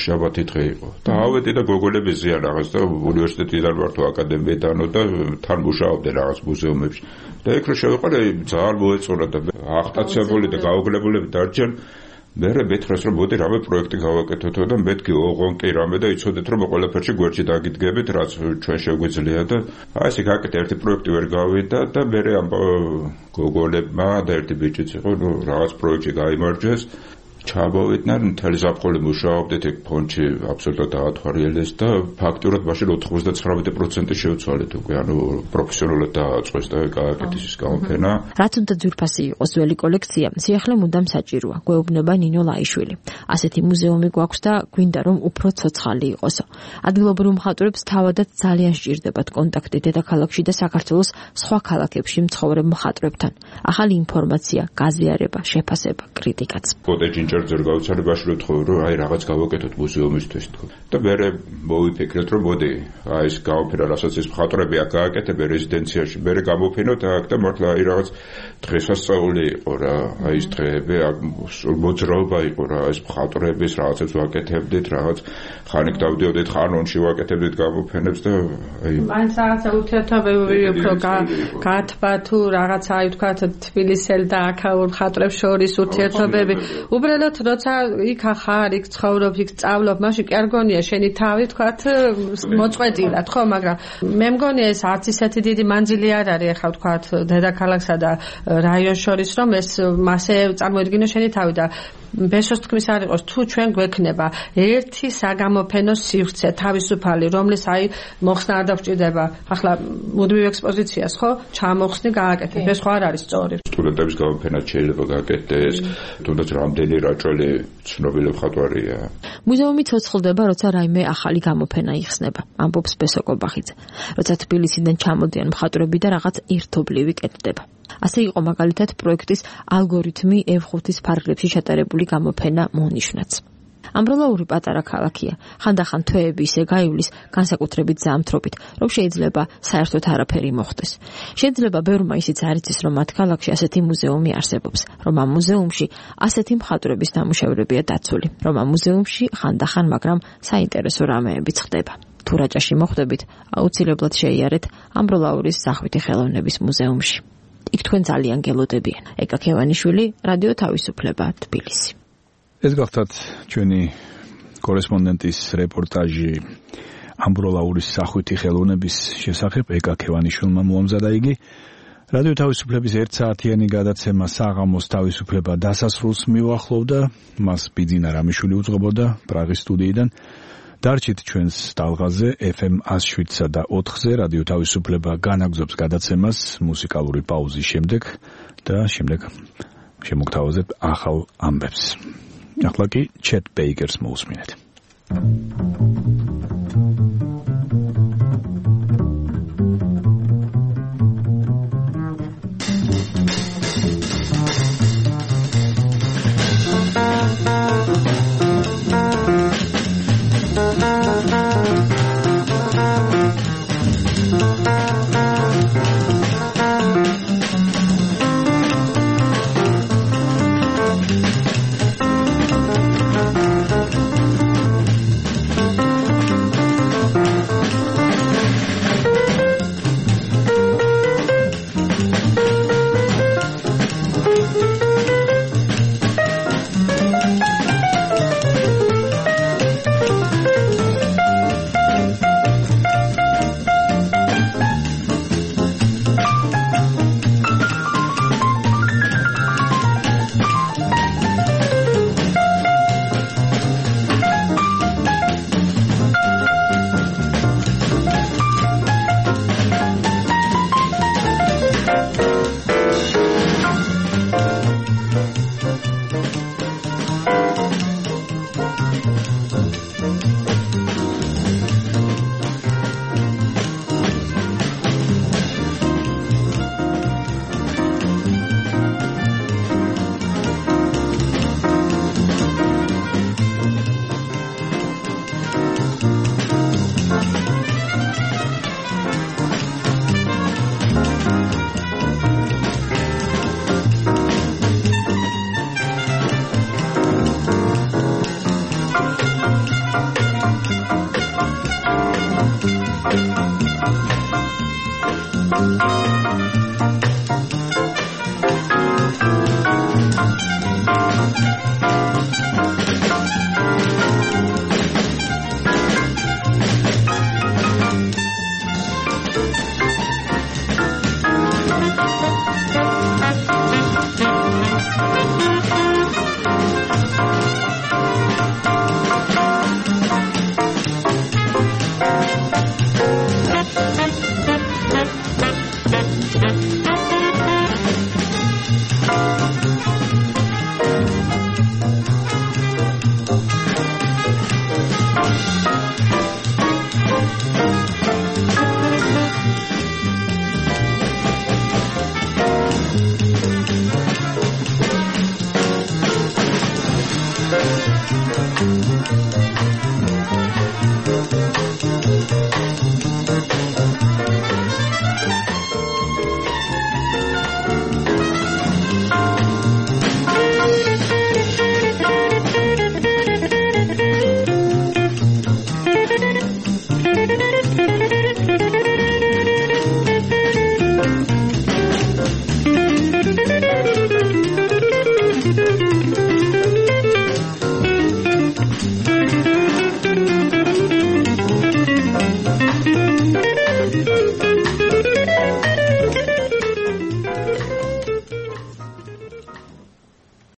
შაბათი დღე იყო. და ავედი და გოგონები ზიან რაღაც და უნივერსიტეტიდან ვარ თუ აკადემიიდანო და თან მუშაობდნენ რაღაც მუზეუმებში. და იქ რო შევიყარე, ძალიან მოეწონა და აღტაცებული და გაუგლებულები დარჩენ. მე მეთხრეს, რომ მოდი რამე პროექტი გავაკეთოთ და მეთქი ოღონ კი რამე და იცოდეთ, რომ ყველაფერში გვერდში დაგიდგებით, რაც ჩვენ შეგვიძლია და აი ესე გაკეთე ერთი პროექტი ვერ გავიდა და მე ამ გოგონებმა და ერთი ბიჭიც იყო, ნუ რაღაც პროექტი გაიმარჯვეს. ჩამოვიდნენ, მთელი ზაფხული მუშაობდით იქ ფონდში აბსოლუტურად დაათვალიერეს და ფაქტურად მაშინ 99% შევცვალეთ უკვე, ანუ პროფესიონალურად დააწყვეს და გააკეთეს ის გამოფენა. რაც უნდა ძვირფასი იყოს ძველი კოლექცია, სიახლე მუდამ საჭიროა, გვეუბნება ნინო ლაიშვილი. ასეთი მუზეუმი გვაქვს და გვინდა რომ უფრო ცოცხალი იყოსო. ადგილობრივ მხატვრებს თავადაც ძალიან სჭირდებათ კონტაქტი დედაქალაქში და საქართველოს სხვა ქალაქებში მცხოვრებ მხატვრებთან. ახალი ინფორმაცია, გაზიარება, შეფასება, კრიტიკაც. ამჯერ ძერ გაუცალებაში რომ თქო რომ აი რაღაც გავაკეთოთ მუზეუმისთვის თქო და მე მოვიფიქრეთ რომ მოდი აი ეს გამოფენა რასაც ეს მხატვრები აქ გააკეთებენ რეზიდენციაში მე გამოფენოთ აქ და მართლა აი რაღაც დღესასწაული იყო რა აი ეს დღეები აქ მოძრაობა იყო რა ეს მხატვრების რაღაცებს ვაკეთებდით რაღაც ხანიკ დავდიოდით ხანონში ვაკეთებდით გამოფენებს და აი მაინც რაღაცა ურთიერთობები უფრო გათბა თუ რაღაცა აი ვთქვათ თბილისელ და აქაურ მხატვრებს შორის ურთიერთობები უბრალოდ როცა იქ ხარ იქ ცხოვრობ იქ სწავლობ მაშინ კი არ გონია შენი თავი ვთქვათ მოწყვეტილად ხო მაგრამ მე მგონია ეს არც ისეთი დიდი მანძილი არ არის ახლა ვთქვათ დედაქალაქსა და რაიონს შორის რომ ეს მასე წარმოედგინო შენი თავი და ბესოს თქმის არ იყოს თუ ჩვენ გვექნება ერთი საგამოფენო სივრცე თავისუფალი რომლის აი მოხსნა არ დაგვჭირდება ახლა მუდმივ ექსპოზიციას ხო ჩამოხსნი გააკეთებ ეს ხო არ არის სწორი სტუდენტების გამოფენად შეიძლება გააკეთდეს თუნდაც რამდენი რაჭველი ცნობილი მხატვარია მუზეუმი ცოცხლდება როცა რაიმე ახალი გამოფენა იხსნება ამბობს ბესო კობახიძე როცა თბილისიდან ჩამოდიან მხატვრები და რაღაც ერთობლივი კეთდება ასე იყო მაგალითად პროექტის ალგორითმი F5-ის ფარგლებში ჩატარებული გამოფენა მონიშნაც. ამბროლაური პატარა ქალაქია. ხანდახან თვეები ისე გაივლის განსაკუთრებით ზამთრობით, რომ შეიძლება საერთოდ არაფერი მოხდეს. შეიძლება ბევრმა ისიც არ იცის, რომ მათ ქალაქში ასეთი მუზეუმი არსებობს, რომ ამ მუზეუმში ასეთი მხატვრების ნამუშევრებია დაცული, რომ ამ მუზეუმში ხანდახან, მაგრამ საინტერესო რამეებიც ხდება. თუ რაჭაში მოხვდებით, აუცილებლად შეიარეთ ამბროლაურის სახვითი ხელოვნების მუზეუმში. იქ თქვენ ძალიან გელოდებიან. ეკა ქევანიშვილი, რადიო თავისუფლება, თბილისი. ეს გახლავთ ჩვენი კორესპონდენტის რეპორტაჟი ამბროლაურის სახვითი ხელოვნების შესახებ ეკა ქევანიშვილმა მოამზადა იგი. რადიო თავისუფლების 1 საათიანი გადაცემა საღამოს თავისუფლება დასასრულს მიუახლოვდა. მას ბიძინა რამიშვილი უძღვებოდა პრაღის სტუდიიდან. დარჩით ჩვენს ტალღაზე FM 107-სა და 4-ზე რადიო თავისუფლება განაგზობს გადაცემას მუსიკალური პაუზის შემდეგ და შემდეგ შემოგთავაზებ ახალ ამბებს. ახლა კი ჩეტ ბეიკერს მოусმინეთ. Thank you.